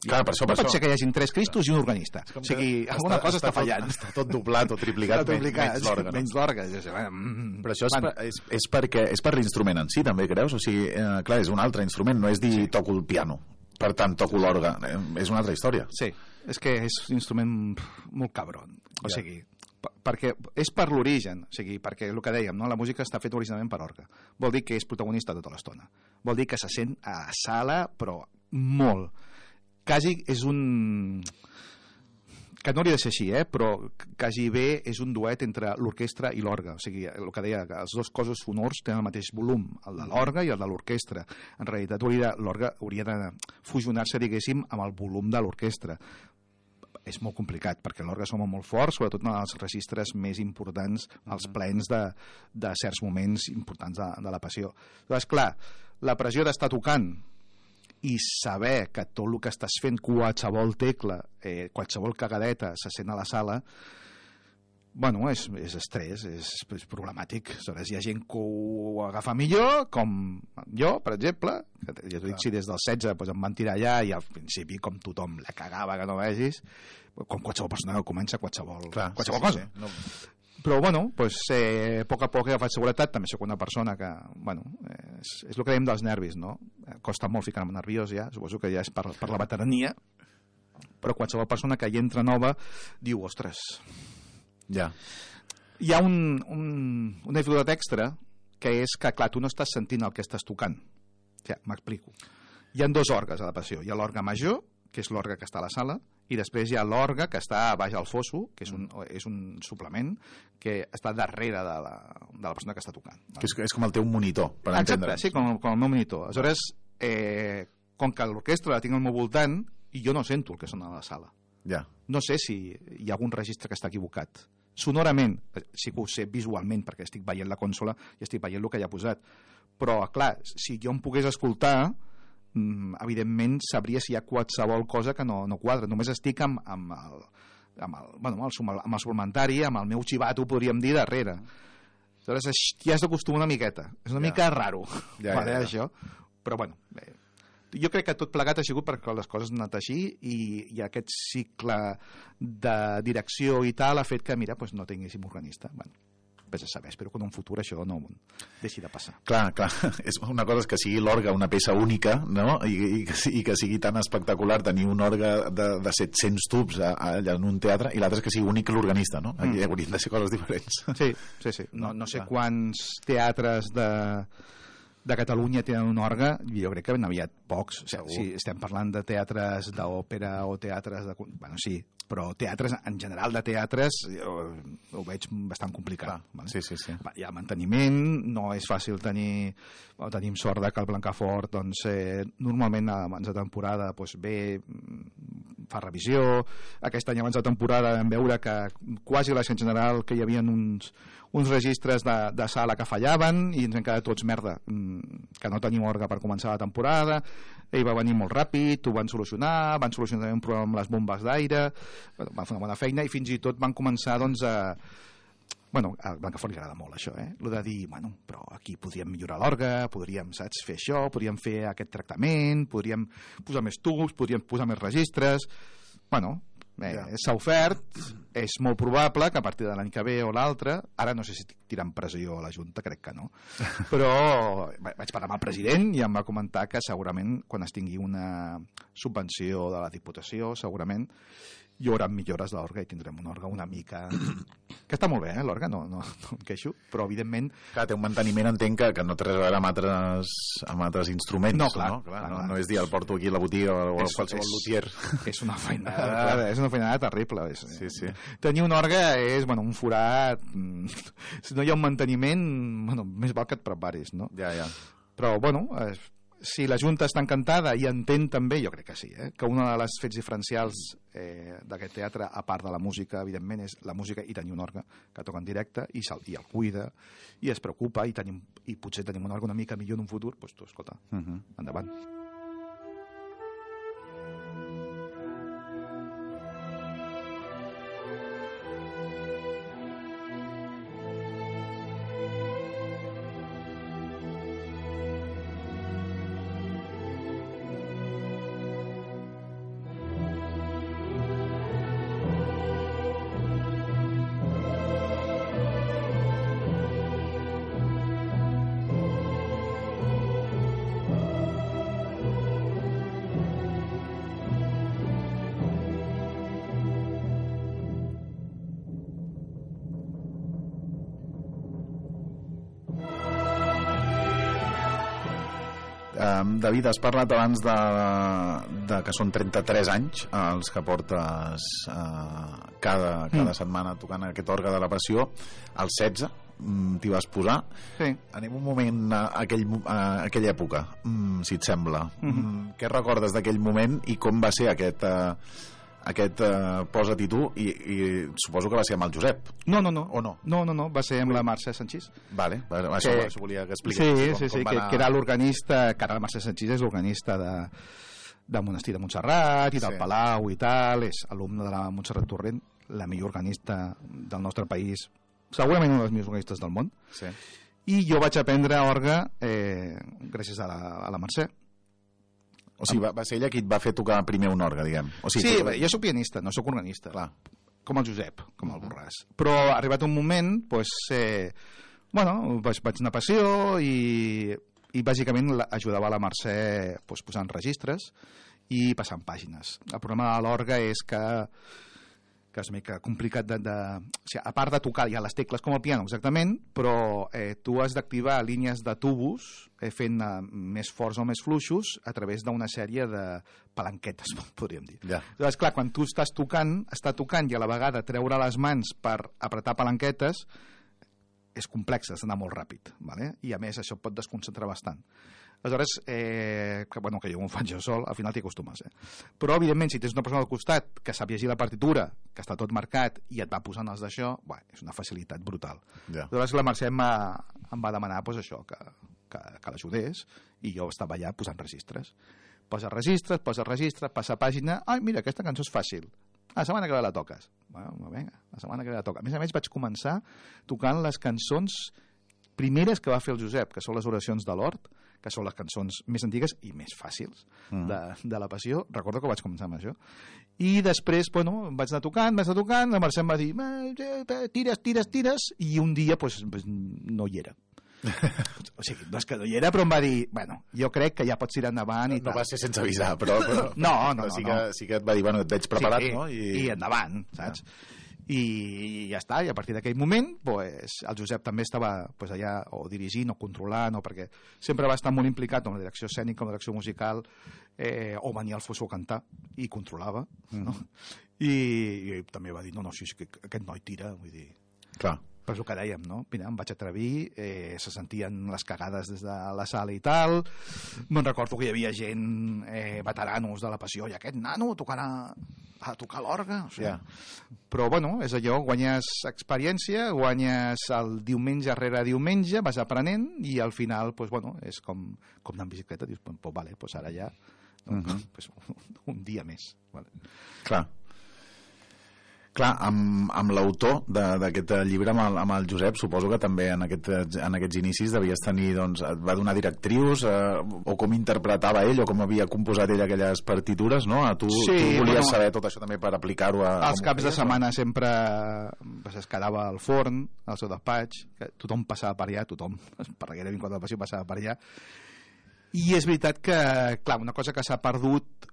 Clar, per això, no per pot això. ser que hi hagin tres Cristos i un organista. O sigui, alguna cosa està, està fallant. Tot, està tot doblat o triplicat, tot triplicat menys l'orgue. No? Menys l'orgue. Mm, Però això és, per, és, és, perquè, és per l'instrument en si, també, creus? O sigui, eh, clar, és un altre instrument, no és dir sí. toco el piano, per tant toco l'orgue. Eh, és una altra història. Sí, és que és un instrument molt cabron. O ja. sigui, perquè és per l'origen, o sigui, perquè el que dèiem, no? La música està feta originalment per orgue. Vol dir que és protagonista tota l'estona. Vol dir que se sent a sala, però molt. Quasi és un... que no hauria de ser així, eh? Però quasi bé és un duet entre l'orquestra i l'orgue. O sigui, el que deia, que els dos cossos sonors tenen el mateix volum, el de l'orgue i el de l'orquestra. En realitat, l'orgue hauria de fusionar-se, diguéssim, amb el volum de l'orquestra. És molt complicat, perquè l'orgue sona molt fort, sobretot en els registres més importants, els plens de, de certs moments importants de, de la passió. Llavors, clar, la pressió d'estar tocant i saber que tot el que estàs fent, qualsevol tecla, eh, qualsevol cagadeta se sent a la sala, bueno, és, és estrès, és, és problemàtic. Aleshores, hi ha gent que ho agafa millor, com jo, per exemple, que ja t'ho dic, si des dels setze doncs em van tirar allà i al principi, com tothom la cagava que no vegis, com qualsevol persona que comença qualsevol, Clar, qualsevol sí, cosa. sí, sí. No. Però, bueno, pues, eh, a poc a poc he agafat seguretat, també soc una persona que, bueno, és, és el que dèiem dels nervis, no? Costa molt ficar-me nerviós ja, suposo que ja és per, per la veterania, però qualsevol persona que hi entra nova diu, ostres, ja. Hi ha un, un, una dificultat extra, que és que, clar, tu no estàs sentint el que estàs tocant. Ja, m'explico. Hi ha dos orgues a la passió. Hi ha l'orgue major, que és l'orgue que està a la sala, i després hi ha l'orgue que està a baix al fosso, que és un, és un suplement que està darrere de la, de la persona que està tocant. Que és, és com el teu monitor, per Exacte, entendre'ns. sí, com, com el meu monitor. Aleshores, eh, com que l'orquestra la tinc al meu voltant, i jo no sento el que sona a la sala. Ja. No sé si hi ha algun registre que està equivocat. Sonorament, sí que ho sé visualment, perquè estic veient la consola i estic veient el que hi ha posat. Però, clar, si jo em pogués escoltar, evidentment sabria si hi ha qualsevol cosa que no, no quadra. Només estic amb, amb el, amb el, bueno, amb el, amb el suplementari, amb el meu xivato, podríem dir, darrere. Aleshores, ja has d'acostumar una miqueta. És una ja. mica raro, ja, vale, ja, ja. això. Però, bueno, bé, jo crec que tot plegat ha sigut perquè les coses han anat així i, i aquest cicle de direcció i tal ha fet que, mira, pues no tinguéssim organista. Bueno, vés a saber, espero que en un futur això no deixi de passar. Clar, clar, és una cosa és que sigui l'orgue una peça única, no? I, i, que, i que sigui tan espectacular tenir un orgue de, de set-cents tubs a, a, allà en un teatre, i l'altre és que sigui únic l'organista, no? Aquí mm. haurien de ser coses diferents. Sí, sí, sí. No, no sé clar. Quants teatres de, de Catalunya tenen un orgue, jo crec que ben aviat pocs. O sigui, si estem parlant de teatres d'òpera o teatres de... Bueno, sí, però teatres, en general de teatres, jo ho veig bastant complicat. Vale? Sí, sí, sí. Hi ha manteniment, no és fàcil tenir... Bueno, tenim sort de que el Blancafort, doncs, eh, normalment abans de temporada doncs, ve, fa revisió. Aquest any abans de temporada vam veure que quasi a la gent general que hi havia uns, uns registres de, de sala que fallaven i ens hem quedat tots merda, que no tenim orgue per començar la temporada. Ell va venir molt ràpid, ho van solucionar, van solucionar un problema amb les bombes d'aire, van fer una bona feina i fins i tot van començar doncs, a... Bueno, a Blancafort li agrada molt això, eh? Lo de dir, bueno, però aquí podríem millorar l'orgue, podríem, saps, fer això, podríem fer aquest tractament, podríem posar més tubs, podríem posar més registres... Bueno, eh, ja. s'ha ofert, és molt probable que a partir de l'any que ve o l'altre, ara no sé si tirant pressió a la Junta, crec que no, però vaig parlar amb el president i em va comentar que segurament quan es tingui una subvenció de la Diputació, segurament hi haurà millores de l'orgue i tindrem un orgue una mica... que està molt bé, eh, l'orgue, no, no, no em queixo, però evidentment... Clar, té un manteniment, entenc, que, que no té res a veure amb altres, amb altres instruments. No, clar. No, clar, clar, no, clar. no és dir, el porto aquí a la botiga o a qualsevol lutier. És una feinada, és una feinada terrible. És, sí, sí. Tenir un orgue és, bueno, un forat... Si no hi ha un manteniment, bueno, més val que et preparis, no? Ja, ja. Però, bueno... Eh, si la Junta està encantada i entén també, jo crec que sí, eh, que una de les fets diferencials eh, d'aquest teatre, a part de la música, evidentment, és la música i tenir un orgue que toca en directe i, i el cuida i es preocupa i, tenim, i potser tenim un orgue una mica millor en un futur, doncs tu, escolta, uh-huh. endavant. David, has parlat abans de, de que són trenta-tres anys els que portes eh, cada, cada mm. setmana tocant aquest orgue de la Passió. Als setze t'hi vas posar. Sí. Anem un moment a, aquell, a aquella època, si et sembla. Mm-hmm. Què recordes d'aquell moment i com va ser aquest... Eh, aquest uh, posa-t'hi tu i, i suposo que va ser amb el Josep. No, no, no. O no? No, no, no, va ser amb la Mercè Sanchís. Vale, vale. Que, això, això volia que expliqués. Sí, com, sí, sí, com que, anar... que era l'organista, que ara la Mercè Sanchís és l'organista de, del Monestir de Montserrat i del sí. Palau i tal, és alumne de la Montserrat Torrent, la millor organista del nostre país, segurament una de les millors organistes del món. Sí. I jo vaig aprendre orgue eh, gràcies a la, a la Mercè. O sigui, va, va ser ella qui et va fer tocar primer un orgue, diguem. O sigui, sí, tu... jo soc pianista, no soc organista. Clar. Com el Josep, com el Borràs. Però ha arribat un moment, doncs, eh, bueno, vaig, vaig anar a Passió i, i bàsicament ajudava la Mercè doncs, posant registres i passant pàgines. El problema de l'orgue és que que és una mica complicat de... de o sigui, a part de tocar ja les tecles com el piano, exactament, però eh, tu has d'activar línies de tubos eh, fent eh, més forts o més fluixos a través d'una sèrie de palanquetes, podríem dir. Ja. Llavors, clar, quan tu estàs tocant, està tocant i a la vegada treure les mans per apretar palanquetes és complex, has d'anar molt ràpid, ¿vale? I a més això pot desconcentrar bastant. Aleshores, eh, que, bueno, que jo m'ho faig jo sol, al final t'hi acostumes. Eh? Però, evidentment, si tens una persona al costat que sap llegir la partitura, que està tot marcat i et va posant els d'això, és una facilitat brutal. Ja. Aleshores, la Mercè em va, em va demanar pues, això, que, que, que l'ajudés, i jo estava allà posant registres. Posa registres, posa registres, passa pàgina, ai, mira, aquesta cançó és fàcil. La setmana que ve la toques. Bueno, vinga, la setmana que ve la toca. A més a més, vaig començar tocant les cançons primeres que va fer el Josep, que són les oracions de l'Hort, que són les cançons més antigues i més fàcils mm. de, de la Passió. Recordo que vaig començar amb això. I després, bueno, vaig anar tocant, vaig anar tocant, la Mercè em va dir, tires, tires, tires, i un dia, pues, pues no hi era. O sigui, no és que no hi era, però em va dir, bueno, jo crec que ja pots tirar endavant i no, tal. No va ser sense avisar, però... però no, no, no. Sí, no. Que, sí que et va dir, bueno, et veig preparat, sí, no? I, i endavant, saps? Ja. I ja està, i a partir d'aquell moment pues, el Josep també estava pues, allà o dirigint o controlant, o perquè sempre va estar molt implicat en la direcció escènica, en la direcció musical, eh, o venia al Fosso a cantar i controlava, mm. no? I, i també va dir, no, no, sí, que aquest noi tira, vull dir... Clar. Per això que dèiem, no? Mira, em vaig atrevir, eh, se sentien les cagades des de la sala i tal, me'n recordo que hi havia gent, eh, veteranos de la Passió, i aquest nano tocarà a tocar l'orgue, o sigui. Yeah. Però bueno, és allò, guanyes experiència, guanyes el diumenge rere diumenge, vas aprenent i al final, pues, bueno, és com, com anar en bicicleta, dius, pues, vale, pues ara ja no, uh-huh. pues, un dia més. Vale. Clar. Clar, amb, amb l'autor d'aquest llibre, amb el, amb el Josep, suposo que també en, aquest, en aquests inicis devies tenir, doncs, et va donar directrius, eh, o com interpretava ell, o com havia composat ell aquelles partitures, no? Tu, sí, tu volies bueno, saber tot això també per aplicar-ho a... Els caps de setmana no? sempre pues, es quedava al forn, al seu despatx, que tothom passava per allà, tothom, per gairebé en quant a la Passió passava per allà, i és veritat que, clar, una cosa que s'ha perdut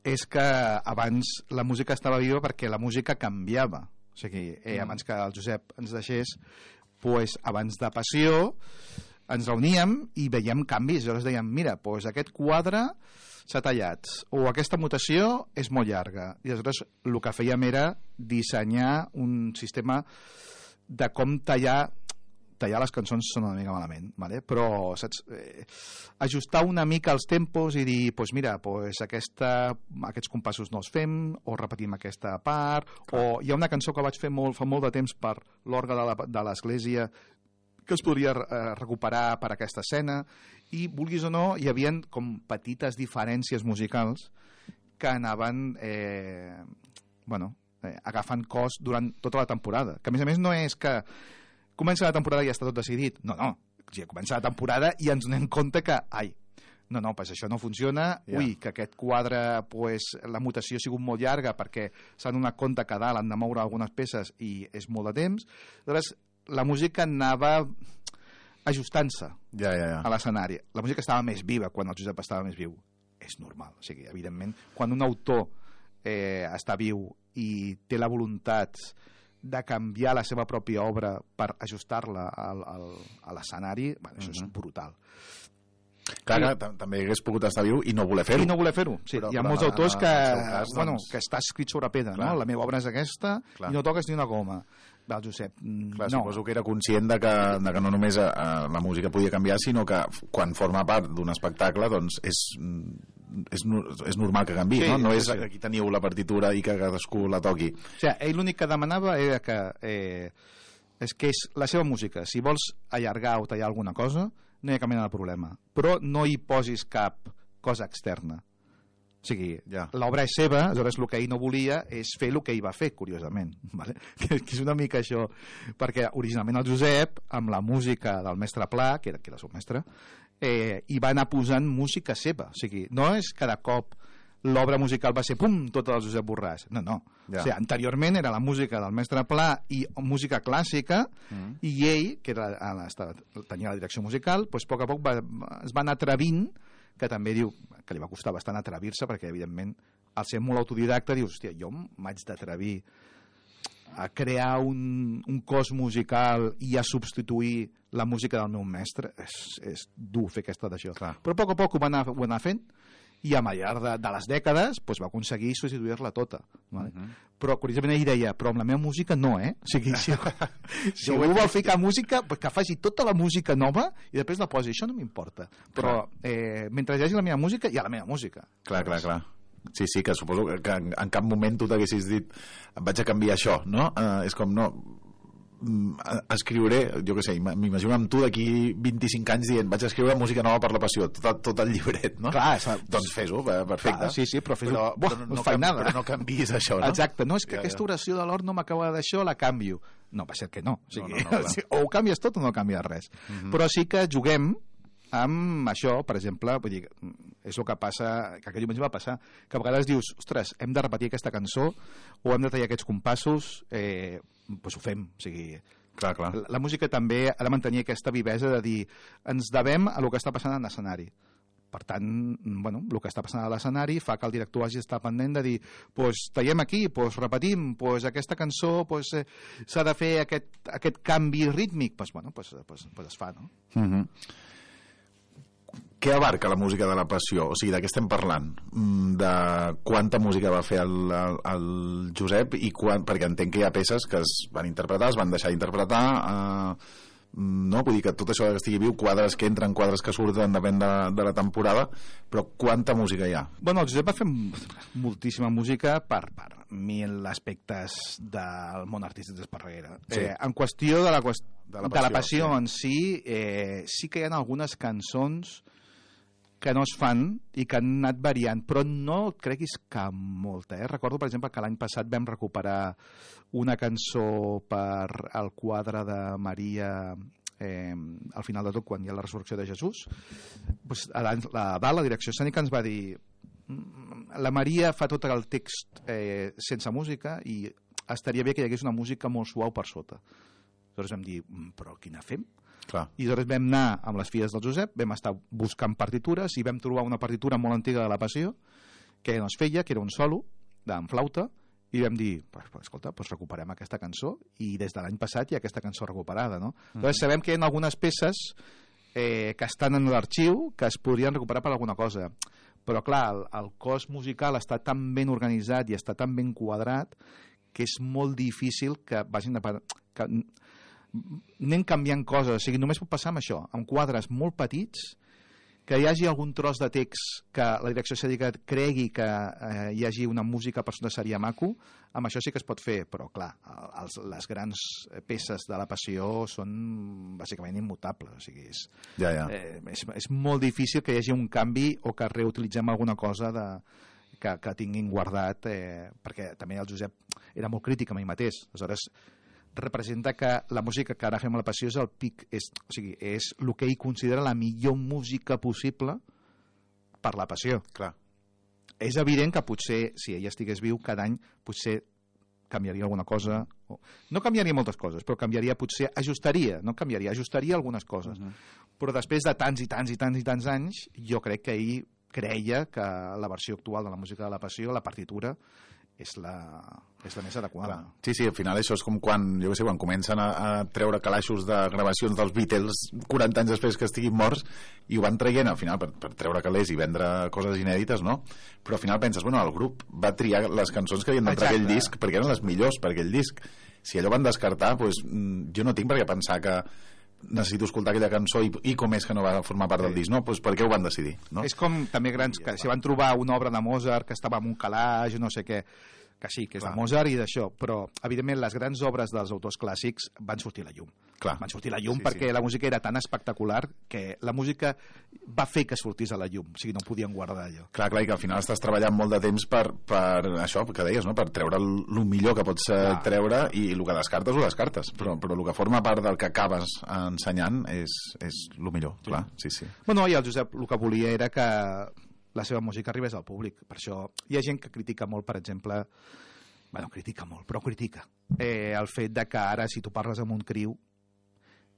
és que abans la música estava viva perquè la música canviava. O sigui, eh, mm. abans que el Josep ens deixés, pues, abans de Passió ens reuníem i veiem canvis. Llavors dèiem, mira, pues, aquest quadre s'ha tallat, o aquesta mutació és molt llarga. I aleshores el que fèiem era dissenyar un sistema de com tallar tallar les cançons són una mica malament, ¿vale? Però saps? Eh, ajustar una mica els tempos i dir, pues mira, pues aquesta, aquests compassos no els fem, o repetim aquesta part, clar. O hi ha una cançó que vaig fer molt, fa molt de temps per l'orgue de l'església que es podria eh, recuperar per aquesta escena, i vulguis o no, hi havia com petites diferències musicals que anaven eh, bueno, eh, agafant cos durant tota la temporada, que a més a més no és que comença la temporada i ja està tot decidit. No, no. O sigui, comença la temporada i ens donem compte que, ai, no, no, pues això no funciona. Yeah. Ui, que aquest quadre, pues, la mutació ha sigut molt llarga perquè s'han donat compte que a dalt han de moure algunes peces i és molt de temps. Aleshores, la música anava ajustant-se ja, ja, ja. a l'escenari. La música estava més viva quan el Josep estava més viu. És normal. O sigui, evidentment, quan un autor eh, està viu i té la voluntat de canviar la seva pròpia obra per ajustar-la al, al, a l'escenari, bueno, això uh-huh. és brutal. Clar, I, que també hagués pogut estar viu i no voler fer-ho. I no voler fer-ho, sí. Però, Hi ha però molts no, autors que, cas, bueno, doncs... que està escrit sobre pedra, clar. No? La meva obra és aquesta clar. I no toques ni una goma. Va, Josep, clar, no. Suposo que era conscient de que, de que no només eh, la música podia canviar, sinó que quan forma part d'un espectacle, doncs és... És, és normal que canvi, sí, no? No és que aquí teniu la partitura i que cadascú la toqui. O sigui, ell l'únic que demanava era que eh, és que és la seva música. Si vols allargar o tallar alguna cosa, no hi ha cap mena de problema. Però no hi posis cap cosa externa. O sigui, ja. L'obra és seva, aleshores el que ell no volia és fer el que ell va fer, curiosament. Vale? Que és una mica això, perquè originalment el Josep, amb la música del mestre Pla, que era, que era el seu mestre, eh, hi va anar posant música seva. O sigui, no és cada cop l'obra musical va ser, pum, tota del Josep Borràs. No, no. Ja. O sigui, anteriorment era la música del mestre Pla i música clàssica, mm. i ell, que era, tenia la direcció musical, doncs, a poc a poc va, es va anar atrevint, que també diu que li va costar bastant atrevir-se, perquè evidentment al ser molt autodidacta dius, hòstia, jo m'haig d'atrevir a crear un, un cos musical i a substituir la música del meu mestre, és, és dur fer aquesta d'això. Però a poc a poc ho va anar, ho va anar fent, i a llarg de, de les dècades pues, va aconseguir substituir-la tota. Vale? Uh -huh. Però, curiosament, ell deia, però amb la meva música no, eh? O sigui, si, si algú vol ficar música, pues, que faci tota la música nova i després la posi. Això no m'importa. Però eh, mentre hi hagi la meva música, hi ha la meva música. Clar, clar, clar. Sí, sí, que suposo que en, en cap moment tu t'haguessis dit vaig a canviar això, no? Uh, és com, no... escriuré, jo què sé, m'imagino amb tu d'aquí vint-i-cinc anys dient vaig escriure música nova per la passió, tot, tot el llibret, no? Clar, doncs fes-ho, perfecte. Clar, sí, sí, però fes-ho. Però, Buah, però, no, no, canvi, nada. però no canviïs això, no? Exacte, no, és que ja, aquesta ja. oració de l'or no m'acaba d'això, la canvio. No, va ser que no. O, sigui, no, no, no, o ho canvies tot o no canvies res. Uh-huh. Però sí que juguem amb això, per exemple, vull dir, és el que passa, que aquell diumenge va passar, que a vegades dius, ostres, hem de repetir aquesta cançó o hem de tallar aquests compassos, eh, doncs ho fem, o sigui... Clar, clar. La, la música també ha de mantenir aquesta vivesa de dir, ens devem a el que està passant en l'escenari. Per tant, bueno, el que està passant a l'escenari fa que el director hagi d'estar pendent de dir, pues, tallem aquí, pues, repetim, pues, aquesta cançó pues, eh, s'ha de fer aquest, aquest canvi rítmic, pues, bueno, pues, pues, pues es fa, no? Uh-huh. Què abarca la música de la passió? O sigui, de què estem parlant? De quanta música va fer el, el, el Josep i quan, perquè entenc que hi ha peces que es van interpretar, es van deixar d'interpretar, eh, no? Vull dir que tot això que estigui viu, quadres que entren, quadres que surten, depèn de, de la temporada, però quanta música hi ha? Bueno, el Josep va fer moltíssima música per, per mil aspectes del món artístic d'Esparreguera. Sí. Eh, en qüestió de la, qüest... de la passió, de la passió sí. en si, eh, sí que hi ha algunes cançons que no es fan i que han anat variant, però no creguis que molta. Eh? Recordo, per exemple, que l'any passat vam recuperar una cançó per al quadre de Maria eh, al final de tot, quan hi ha la resurrecció de Jesús. Pues, a la, a dalt, la direcció escènica ens va dir la Maria fa tot el text eh, sense música i estaria bé que hi hagués una música molt suau per sota. Llavors vam dir, però quina fem? Clar. I llavors vam anar amb les filles del Josep, vam estar buscant partitures i vam trobar una partitura molt antiga de la Passió que no es feia, que era un solo en flauta, i vam dir, pues, pues, escolta, pues recuperem aquesta cançó, i des de l'any passat hi ha aquesta cançó recuperada, no? Mm-hmm. Llavors sabem que hi ha algunes peces eh, que estan en l'arxiu que es podrien recuperar per alguna cosa, però clar, el, el cos musical està tan ben organitzat i està tan ben quadrat que és molt difícil que vagin de... que anem canviant coses, o sigui, només pot passar amb això, amb quadres molt petits, que hi hagi algun tros de text que la direcció escènica cregui que eh, hi hagi una música per sota seria maco, amb això sí que es pot fer, però clar, els, les grans peces de la Passió són bàsicament immutables, o sigui, és, ja, ja. Eh, és, és molt difícil que hi hagi un canvi o que reutilitzem alguna cosa de, que, que tinguin guardat, eh, perquè també el Josep era molt crític amb ell mateix, aleshores representa que la música que ara fem a la Passió és el pic, és, o sigui, és el que ell considera la millor música possible per la Passió. Clar. És evident que potser, si ell estigués viu, cada any potser canviaria alguna cosa, o... no canviaria moltes coses, però canviaria, potser ajustaria, no canviaria, ajustaria algunes coses. Uh-huh. Però després de tants i tants i tants i tants anys, jo crec que ell creia que la versió actual de la música de la Passió, la partitura, és la, és la més adequada. Clar. Sí, sí, al final això és com quan, jo què sé, quan comencen a, a treure calaixos de gravacions dels Beatles quaranta anys després que estiguin morts i ho van traient al final per, per treure calés i vendre coses inèdites, no? Però al final penses, bueno, el grup va triar les cançons que havien d'entrar aquell disc perquè eren les millors per aquell disc. Si allò van descartar, doncs, jo no tinc per què pensar que necessito escoltar aquella cançó i, i com és que no va formar part del disc, no? Pues per què ho van decidir, no? És com també grans que si van trobar una obra de Mozart que estava en un calaix, no sé què, que sí, que és Clar. de Mozart i d'això, però evidentment les grans obres dels autors clàssics van sortir a la llum. Clar. Van sortir a la llum sí, perquè sí. la música era tan espectacular que la música va fer que sortís a la llum, o sigui, no podien guardar allò. Clar, clar, i que al final estàs treballant molt de temps per, per això que deies, no? Per treure el, el millor que pots clar. treure i el que descartes ho descartes, però, però el que forma part del que acabes ensenyant és, és el millor, sí. clar, sí, sí. Bueno, i el Josep el que volia era que la seva música arribés al públic, per això hi ha gent que critica molt, per exemple, bueno, critica molt, però critica eh, el fet de que ara si tu parles amb un criu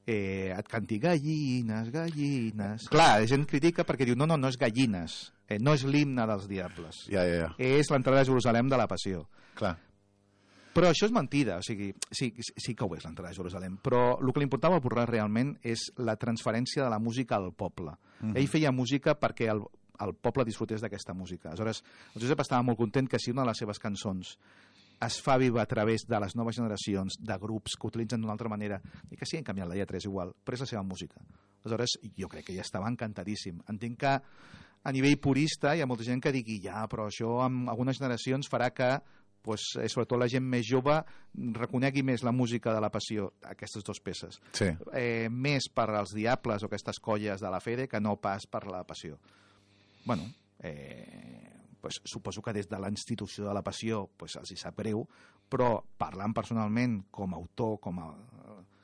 eh, et canti gallines, gallines. Clar, la gent critica perquè diu no, no, no és gallines, eh, no és l'himne dels diables, ja, ja, ja. és l'entrada de Jerusalem de la Passió. Clar. Però això és mentida, o sigui, sí, sí que ho és l'entrada a Jerusalem, però el que li importava al Borràs realment és la transferència de la música al poble. Mm-hmm. Ell feia música perquè el, el poble disfrutés d'aquesta música. Aleshores, el Josep estava molt content que si una de les seves cançons es fa viva a través de les noves generacions, de grups que utilitzen d'una altra manera, i que sí, han canviat la lletra, és igual, però és la seva música. Aleshores, jo crec que ja estava encantadíssim. Entenc que a nivell purista hi ha molta gent que digui ja, però això en algunes generacions farà que pues, sobretot la gent més jove reconegui més la música de la Passió, aquestes dues peces. Sí. Eh, més per als Diables o aquestes colles de la Fede que no pas per la Passió. Bueno, eh, pues, suposo que des de la institució de la Passió pues, els hi sap greu, però parlant personalment com a autor, com a...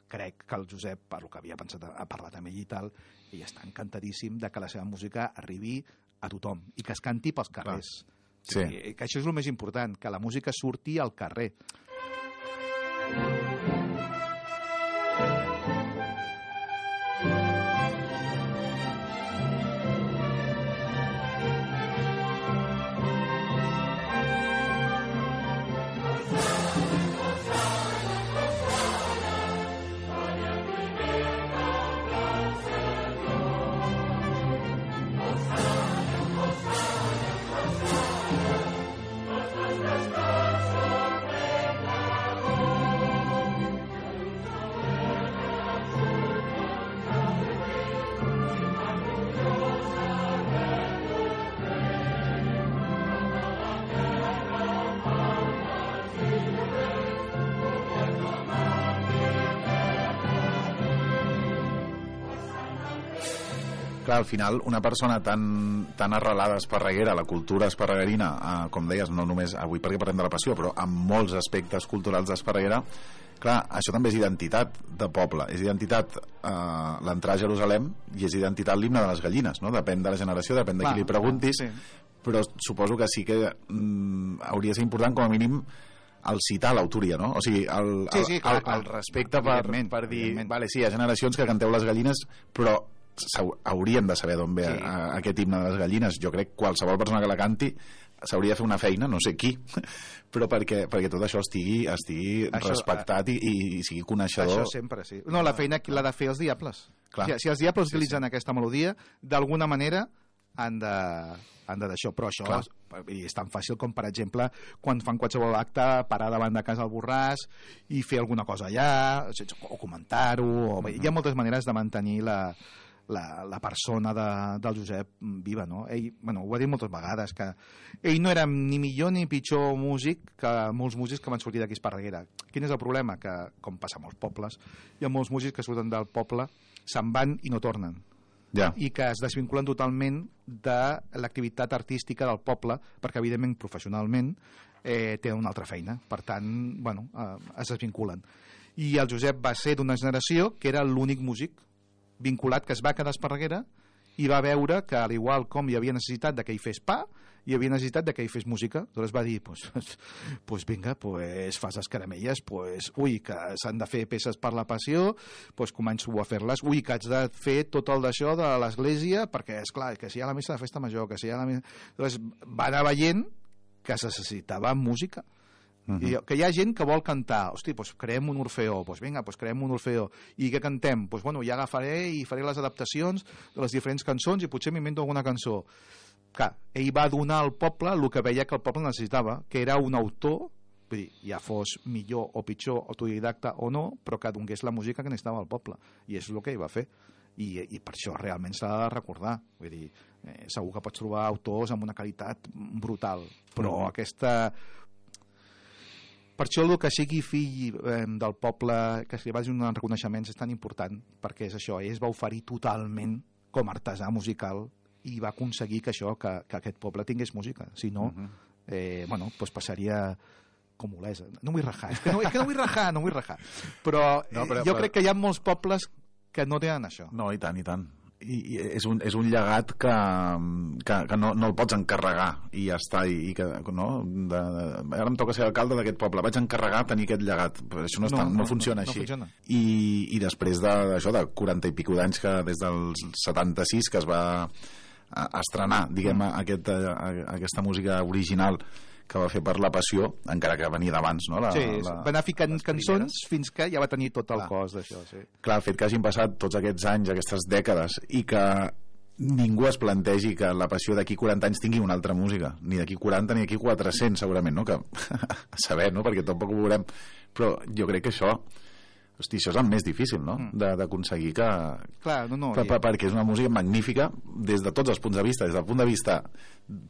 crec que el Josep, per lo que havia pensat, ha parlat amb ell i tal, ell està encantadíssim de que la seva música arribi a tothom i que es canti pels carrers. Clar. Sí. I, que això és el més important, que la música surti al carrer. Clar, al final, una persona tan, tan arrelada a Esparreguera, a la cultura esparreguerina, eh, com deies, no només avui perquè parlem de la Passió, però amb molts aspectes culturals d'Esparreguera, clar, això també és identitat de poble, és identitat eh, l'entrar a Jerusalem i és identitat l'himne de les gallines, no? Depèn de la generació, depèn de qui li preguntis, sí. Però suposo que sí que mm, hauria de ser important com a mínim el citar l'autoria, no? O sigui, el, el, sí, sí, clar, el, clar. el respecte per, per dir, vale, sí, hi ha generacions que canteu les gallines, però haurien de saber d'on ve sí. aquest himne de les gallines. Jo crec que qualsevol persona que la canti s'hauria de fer una feina, no sé qui, però perquè, perquè tot això estigui, estigui això, respectat i, i sigui coneixedor. Això sempre, sí. No, la feina l'ha de fer els Diables. Clar. Si, si els Diables sí, utilitzen sí. aquesta melodia, d'alguna manera han de, han de d'això, però això Clar. és tan fàcil com, per exemple, quan fan qualsevol acte, parar davant de casa al Borràs i fer alguna cosa allà, o comentar-ho, o... Mm-hmm. Hi ha moltes maneres de mantenir la La, la persona de, del Josep viva, no? Ell, bueno, ho ha dit moltes vegades, que ell no era ni millor ni pitjor músic que molts músics que van sortir d'aquí a Esparreguera. Quin és el problema? Que, com passa a molts pobles, hi ha molts músics que surten del poble, se'n van i no tornen. Ja. I que es desvinculen totalment de l'activitat artística del poble, perquè, evidentment, professionalment, eh, tenen una altra feina. Per tant, bueno, eh, es desvinculen. I el Josep va ser d'una generació que era l'únic músic vinculat que es va quedar a Esparreguera i va veure que, al igual com hi havia necessitat de que hi fes pa, hi havia necessitat de que hi fes música. Aleshores va dir, pues, pues vinga, pues fas les caramelles, pues, ui, que s'han de fer peces per la Passió, pues començo a fer-les, ui, que haig de fer tot el d'això de l'església, perquè, és clar, que si hi ha la missa de festa major, que si hi ha la missa... Aleshores va anar veient que es necessitava música. Uh-huh. I que hi ha gent que vol cantar, hosti, doncs creem un orfeó, doncs vinga, doncs creem un orfeó, i què cantem? Doncs bueno, ja agafaré i faré les adaptacions de les diferents cançons i potser m'invento alguna cançó. Clar, ell va donar al poble el que veia que el poble necessitava, que era un autor, vull dir, ja fos millor o pitjor, autodidacta o no, però que donés la música que necessitava el poble, i és el que ell va fer. I, i per això realment s'ha de recordar, vull dir, eh, segur que pots trobar autors amb una qualitat brutal, però uh-huh. aquesta... Per això el que sigui fill eh, del poble, que se li vagin uns reconeixements, és tan important, perquè és això, ell es va oferir totalment com a artesà musical i va aconseguir que això, que, que aquest poble tingués música. Si no, uh-huh. eh, bueno, pues passaria com Olesa. No vull rajar, és que no, és que no vull rajar, no vull rajar. Però, no, però jo però... crec que hi ha molts pobles que no tenen això. No, i tant, i tant. I, i és, un, és un llegat que, que, que no, no el pots encarregar i ja està, i, i que no, de, de, ara em toca ser alcalde d'aquest poble, vaig encarregar tenir aquest llegat, però això no, no, no, no funciona no, no, així no funciona. I, i després d'això de, de quaranta i pico d'anys, que des del setanta-sis que es va a, a estrenar, diguem, mm. aquest, a, a, aquesta música original que va fer per La Passió, encara que venia d'abans, no? La, sí, la, va anar ficant cançons fins que ja va tenir tot el clar. cos d'això, sí. Clar, el fet que hagin passat tots aquests anys, aquestes dècades, i que ningú es plantegi que La Passió d'aquí quaranta anys tingui una altra música, ni d'aquí quaranta ni d'aquí quatre-cents segurament, no? Que a saber, no? Perquè tampoc ho veurem, però jo crec que això hosti, això és el més difícil, no? Mm. D'aconseguir que... Clar, no, no. Per, per, perquè és una música magnífica des de tots els punts de vista, des del punt de vista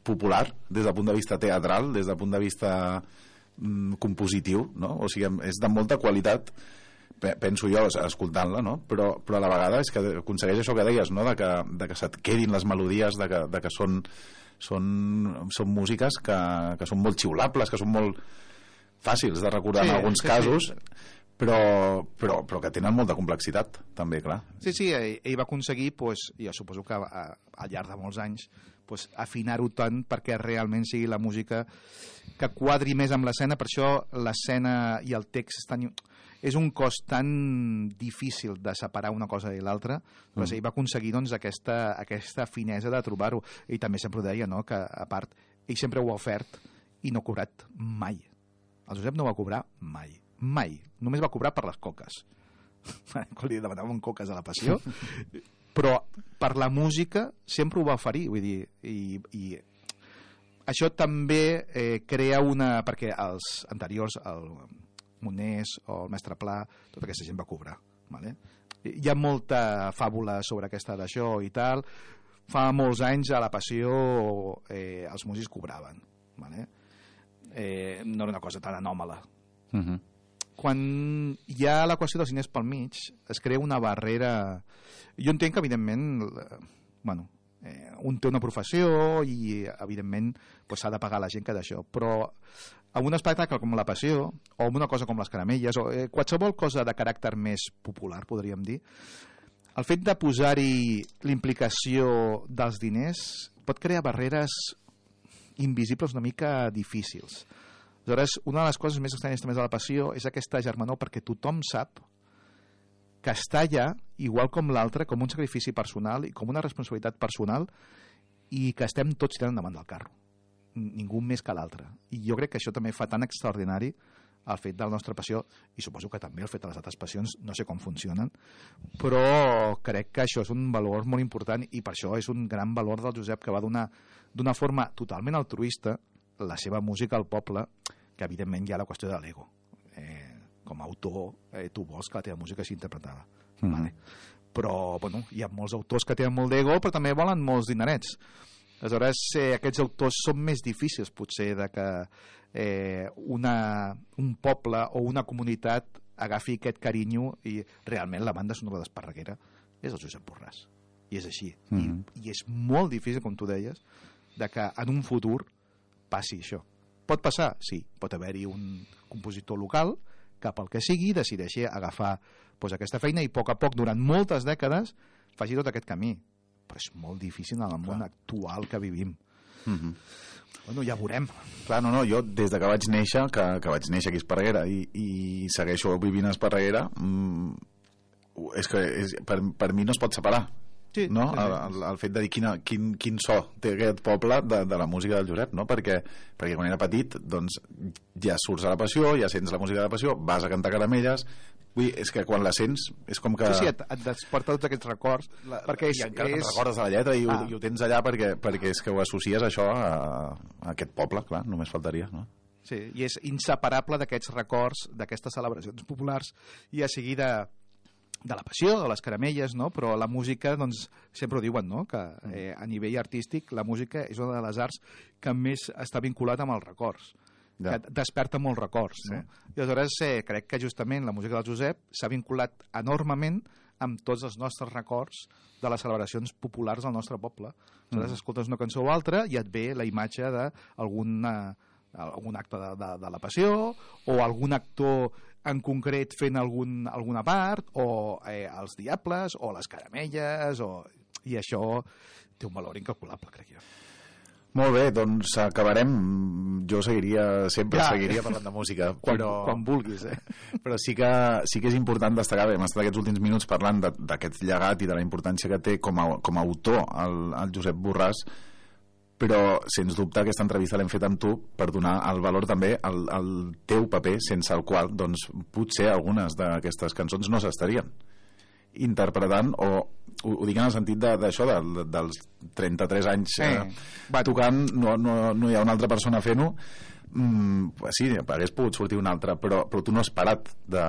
popular, des del punt de vista teatral, des del punt de vista mm, compositiu, no? O sigui, és de molta qualitat, penso jo, escoltant-la, no? Però, però a la vegada és que aconsegueix això que deies, no? De que, de que se't quedin les melodies, de que, de que són, són, són músiques que, que són molt xiulables, que són molt fàcils de recordar sí, en alguns sí, casos, sí. Però, però, però que tenen molta complexitat també, clar. Sí, sí, ell, ell va aconseguir, pues, jo suposo que a, al llarg de molts anys, pues, afinar-ho tant perquè realment sigui la música que quadri més amb l'escena. Per això l'escena i el text estan... és un cos tan difícil de separar una cosa i l'altra, mm. ell va aconseguir doncs, aquesta, aquesta finesa de trobar-ho. Ell també sempre ho deia, no? Que a part, ell sempre ho ha ofert i no ha cobrat mai. El Josep no va cobrar mai. Mai. Només va cobrar per les coques. Quan li demanaven coques a La Passió. Però per la música sempre ho va oferir. Vull dir, i, i això també eh, crea una... Perquè els anteriors, el Monés o el Mestre Pla, tota aquesta gent va cobrar. Vale? Hi ha molta fàbula sobre aquesta d'això i tal. Fa molts anys a La Passió eh, els músics cobraven. Vale? Eh, no era una cosa tan anòmala. Uh-huh. Quan hi ha la qüestió dels diners pel mig, es crea una barrera... Jo entenc que, evidentment, eh, bueno, eh, un té una professió i, evidentment, pues, s'ha de pagar la gent que d'això, però amb un espectacle com La Passió, o amb una cosa com les caramelles, o eh, qualsevol cosa de caràcter més popular, podríem dir, el fet de posar-hi l'implicació dels diners pot crear barreres invisibles una mica difícils. Aleshores, una de les coses més estranyes també de La Passió és aquesta germanor, perquè tothom sap que està allà, igual com l'altre, com un sacrifici personal i com una responsabilitat personal, i que estem tots tirant endavant del carro. Ningú més que l'altre. I jo crec que això també fa tan extraordinari el fet de la nostra passió, i suposo que també el fet de les altres passions, no sé com funcionen, però crec que això és un valor molt important, i per això és un gran valor del Josep, que va donar d'una forma totalment altruista la seva música al poble, que evidentment hi ha la qüestió de l'ego. Eh, com a autor, eh, tu vols que la teva música sigui interpretada. Mm. Vale? Però, bueno, hi ha molts autors que tenen molt d'ego, però també volen molts dinerets. Aleshores, eh, aquests autors són més difícils, potser, de que eh, una, un poble o una comunitat agafi aquest carinyo, i realment la banda sonora d'Esparreguera és el Josep Borràs. I és així. Mm. I, I és molt difícil, com tu deies, de que en un futur passi això. Pot passar? Sí. Pot haver-hi un compositor local que pel que sigui decideixi agafar doncs, aquesta feina i a poc a poc, durant moltes dècades, faci tot aquest camí. Però és molt difícil en el món Clar. actual que vivim. Mm-hmm. Bueno, ja veurem. Clar, no, no, jo des de que vaig néixer, que, que vaig néixer aquí a Esparreguera i, i segueixo vivint a Esparreguera, mmm, és que és, per, per mi no es pot separar. Sí, no? Sí, sí. El, el fet de dir quina, quin, quin so té aquest poble de, de la música del Josep, no? perquè, perquè quan era petit doncs, ja surts a La Passió, ja sents la música de La Passió, vas a cantar caramelles, vull dir, és que quan la sents és com que... Sí, sí, et, et desperta tots aquests records, la, perquè és, i encara és... te'n recordes de la lletra i, ah. ho, i ho tens allà perquè, perquè és que ho associes això a, a aquest poble, clar, només faltaria, no? Sí, i és inseparable d'aquests records, d'aquestes celebracions populars, ja sigui de de La Passió, de les caramelles, no? Però la música, doncs, sempre ho diuen, no? Que eh, a nivell artístic la música és una de les arts que més està vinculat amb els records, ja. que desperta molts records, sí. no? I aleshores eh, crec que justament la música del Josep s'ha vinculat enormement amb tots els nostres records de les celebracions populars del nostre poble. Aleshores mm. escoltes una cançó o altra i et ve la imatge d'alguna algun acte de, de, de La Passió o algun actor en concret fent algun, alguna part, o eh, els Diables o les caramelles, o... i això té un valor incalculable, crec jo. Molt bé, doncs acabarem. Jo seguiria, sempre ja. seguiria parlant de música, quan, però... quan vulguis, eh? Però sí que, sí que és important destacar, hem estat aquests últims minuts parlant d'aquest llegat i de la importància que té com a, com a autor el, el Josep Borràs, però sens dubte aquesta entrevista l'hem fet amb tu per donar el valor també al, al teu paper, sense el qual doncs, potser algunes d'aquestes cançons no s'estarien interpretant, o ho, ho dic en el sentit d'això, de, de, dels trenta-tres anys eh, eh, tocant, no, no, no hi ha una altra persona fent-ho. Mm, sí, hagués pogut sortir una altra, però, però tu no has parat de,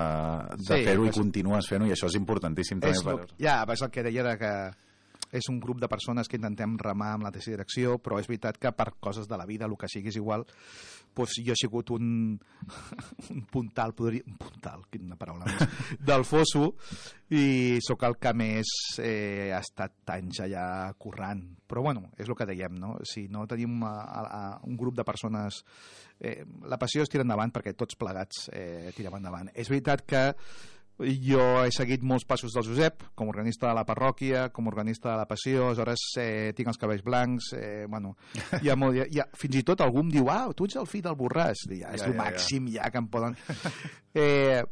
de sí, fer-ho i continues fent-ho, i això és importantíssim també. És per... Ja, és el que deia de que és un grup de persones que intentem remar amb la mateixa direcció, però és veritat que per coses de la vida, el que sigui és igual, doncs jo he sigut un, un puntal, podria, un puntal, quina paraula més, del fosso, i sóc el que més eh, ha estat anys allà currant. Però bueno, és el que dèiem, no? Si no tenim a, a, a un grup de persones, eh, la passió es tira endavant perquè tots plegats eh, tirem endavant. És veritat que jo he seguit molts passos del Josep, com a organista de la parròquia, com a organista de la passió, aleshores eh, tinc els cabells blancs, eh, bueno, hi ha molt, hi ha, fins i tot algú em diu, ah, tu ets el fill del Borràs, ja, ja, és el ja, màxim ja. ja que em poden... Eh,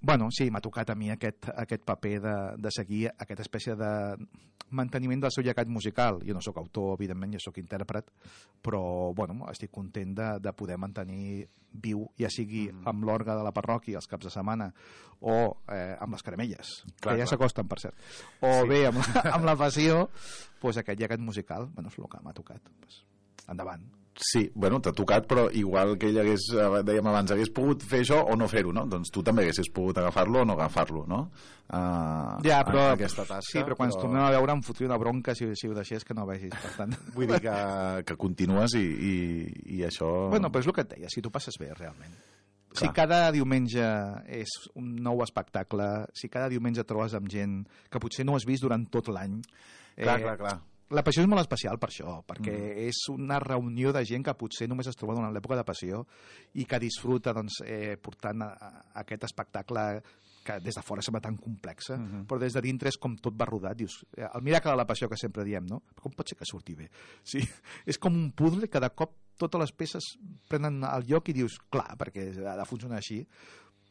bueno, sí, m'ha tocat a mi aquest, aquest paper de, de seguir aquesta espècie de manteniment del seu llegat musical. Jo no sóc autor, evidentment, jo sóc intèrpret, però bueno, estic content de, de poder mantenir viu, ja sigui mm. amb l'orgue de la parròquia els caps de setmana o eh, amb les caramelles, clar, que ja s'acosten, per cert. O sí. bé, amb la, amb la passió, pues, aquest llegat musical, bueno, és el que m'ha tocat. Pues, endavant. Sí, bueno, t'ha tocat, però igual que ell hagués, dèiem abans, hagués pogut fer això o no fer-ho, no? Doncs tu també haguessis pogut agafar-lo o no agafar-lo, no? Uh, ja, però, aquesta tasca, sí, però quan però... ens tornem a veure em fotria una bronca si, si ho deixés que no ho vegis, per tant. Vull dir que, que continues i, i, i això... Bueno, però és el que et deia, si tu passes bé, realment. Clar. Si cada diumenge és un nou espectacle, si cada diumenge trobes amb gent que potser no has vist durant tot l'any... Clar, eh, clar, clar. La passió és molt especial per això, perquè mm. és una reunió de gent que potser només es troba durant l'època de passió i que disfruta doncs, eh, portant a, a aquest espectacle que des de fora sembla tan complexa, mm -hmm. però des de dintre és com tot va rodat. Dius, el miracle de la passió que sempre diem, no? Com pot ser que surti bé? Sí, és com un puzzle que de cop totes les peces prenen el lloc i dius, clar, perquè ha de funcionar així.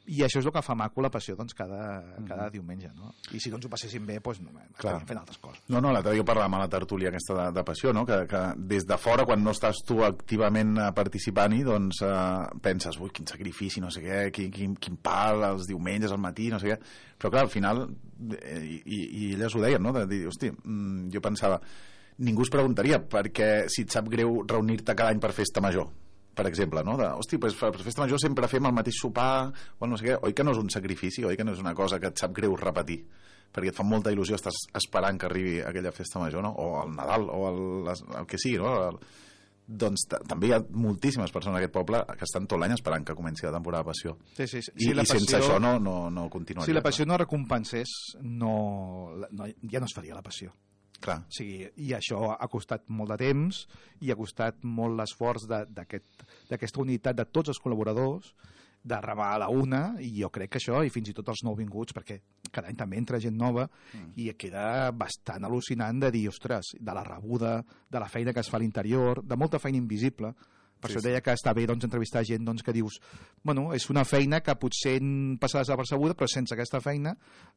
I això és el que fa maco la passió doncs, cada, cada mm. diumenge, no? I si doncs ho passéssim bé, doncs no, estaríem fent altres coses. No, no, l'altre dia parlàvem a la tertúlia aquesta de, de passió, no? Que, que des de fora, quan no estàs tu activament participant-hi, doncs eh, penses, ui, quin sacrifici, no sé què, quin, quin, quin pal els diumenges al matí, no sé què. Però clar, al final, i, i, i elles ho deien, no? De dir, hosti, jo pensava, ningú es preguntaria perquè si et sap greu reunir-te cada any per festa major, per exemple, no? De, hosti, pues, per festa major sempre fem el mateix sopar o no sé què, oi que no és un sacrifici, oi que no és una cosa que et sap greu repetir, perquè et fa molta il·lusió, estàs esperant que arribi aquella festa major, no? O el Nadal, o el, el que sigui, no? El, doncs també hi ha moltíssimes persones en aquest poble que estan tot l'any esperant que comenci la temporada de passió. Sí, sí, sí. I, si la i passió, sense això no, no, no continuaria. Si la passió no recompensés, no, no, ja no es faria la passió. Clar. O sigui, i això ha costat molt de temps i ha costat molt l'esforç d'aquesta aquest, unitat de tots els col·laboradors de remar a la una, i jo crec que això, i fins i tot els nouvinguts, perquè cada any també entra gent nova, mm. i queda bastant al·lucinant de dir, ostres, de la rebuda, de la feina que es fa a l'interior, de molta feina invisible. Per sí, això deia que està bé doncs, entrevistar gent doncs, que dius, bueno, és una feina que potser passarà desapercebuda, però sense aquesta feina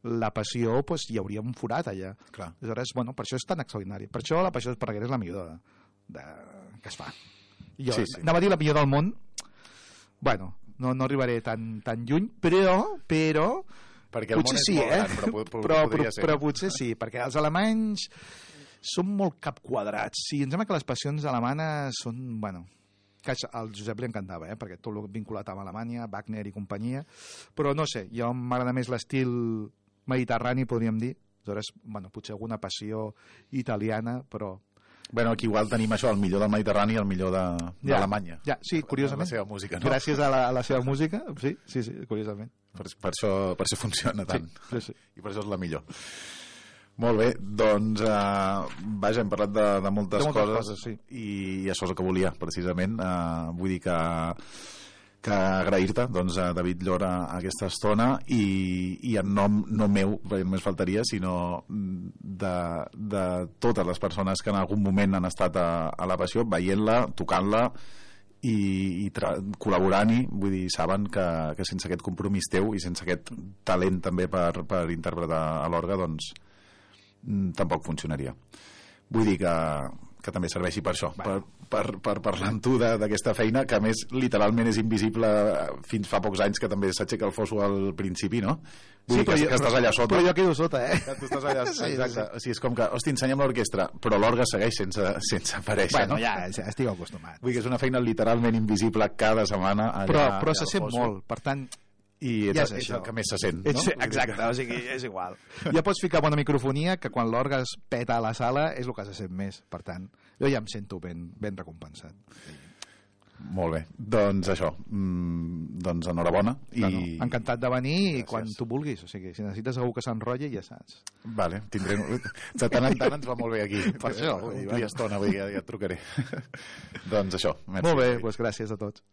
la passió pues, hi hauria un forat allà. Clar. Aleshores, bueno, per això és tan extraordinari. Per això la passió Esparreguera és la millor de, de, que es fa. Jo sí, sí. anava a dir la millor del món, bueno, no, no arribaré tan, tan lluny, però, però perquè el potser món és sí, molt eh? gran, però, però, però, però, ser. però potser sí, perquè els alemanys són molt capquadrats. Sí, em sembla que les passions alemanes són, bueno, que al Josep li encantava, eh? Perquè tot el vinculat amb Alemanya, Wagner i companyia, però no sé, jo m'agrada més l'estil mediterrani, podríem dir. Aleshores, bueno, potser alguna passió italiana, però... Bueno, aquí igual tenim això, el millor del Mediterrani i el millor d'Alemanya. Ja, ja, sí, curiosament. La seva música, no? Gràcies a la, a la seva música, sí, sí, sí, curiosament. Per, per, això, per això funciona tant. Sí, sí, sí. I per això és la millor. Molt bé, doncs, eh, vaja, hem parlat de, de, moltes, de moltes coses, coses sí. i, i això és el que volia, precisament. Eh, vull dir que, que agrair-te, doncs, a David Llora aquesta estona i, i en nom no meu, perquè només faltaria, sinó de, de totes les persones que en algun moment han estat a, a la passió, veient-la, tocant-la i, i col·laborant-hi, vull dir, saben que, que sense aquest compromís teu i sense aquest talent també per, per interpretar a l'orgue, doncs tampoc funcionaria. Vull dir que, que també serveixi per això, per, per, per parlar amb tu d'aquesta feina, que a més literalment és invisible fins fa pocs anys, que també s'aixeca el fosso al principi, no? Vull sí, dir que, jo, que estàs allà sota. Però jo quedo sota, eh? Que tu estàs allà, sí, exacte. Sí. O sigui, és com que, hosti, ensenya'm l'orquestra, però l'orga segueix sense, sense aparèixer, bueno, no? ja, ja estic acostumat. Vull dir que és una feina literalment invisible cada setmana allà, però, però se allà sent molt, per tant i ets, ja és, és, és el que més se sent, ets, no? Exacte, o sigui, és igual. Ja pots ficar bona microfonia, que quan l'orgue es peta a la sala és el que se sent més, per tant, jo ja em sento ben, ben recompensat. Molt bé, doncs això, mm, doncs enhorabona. I... No, no. Encantat de venir i Gràcies. Quan tu vulguis, o sigui, si necessites algú que s'enrotlli ja saps. Vale, tindré... De tant en tant ens va molt bé aquí. Per això. Omplir estona, vull dir, ja, ja et trucaré. Doncs això. Merci. Molt bé, doncs gràcies a tots.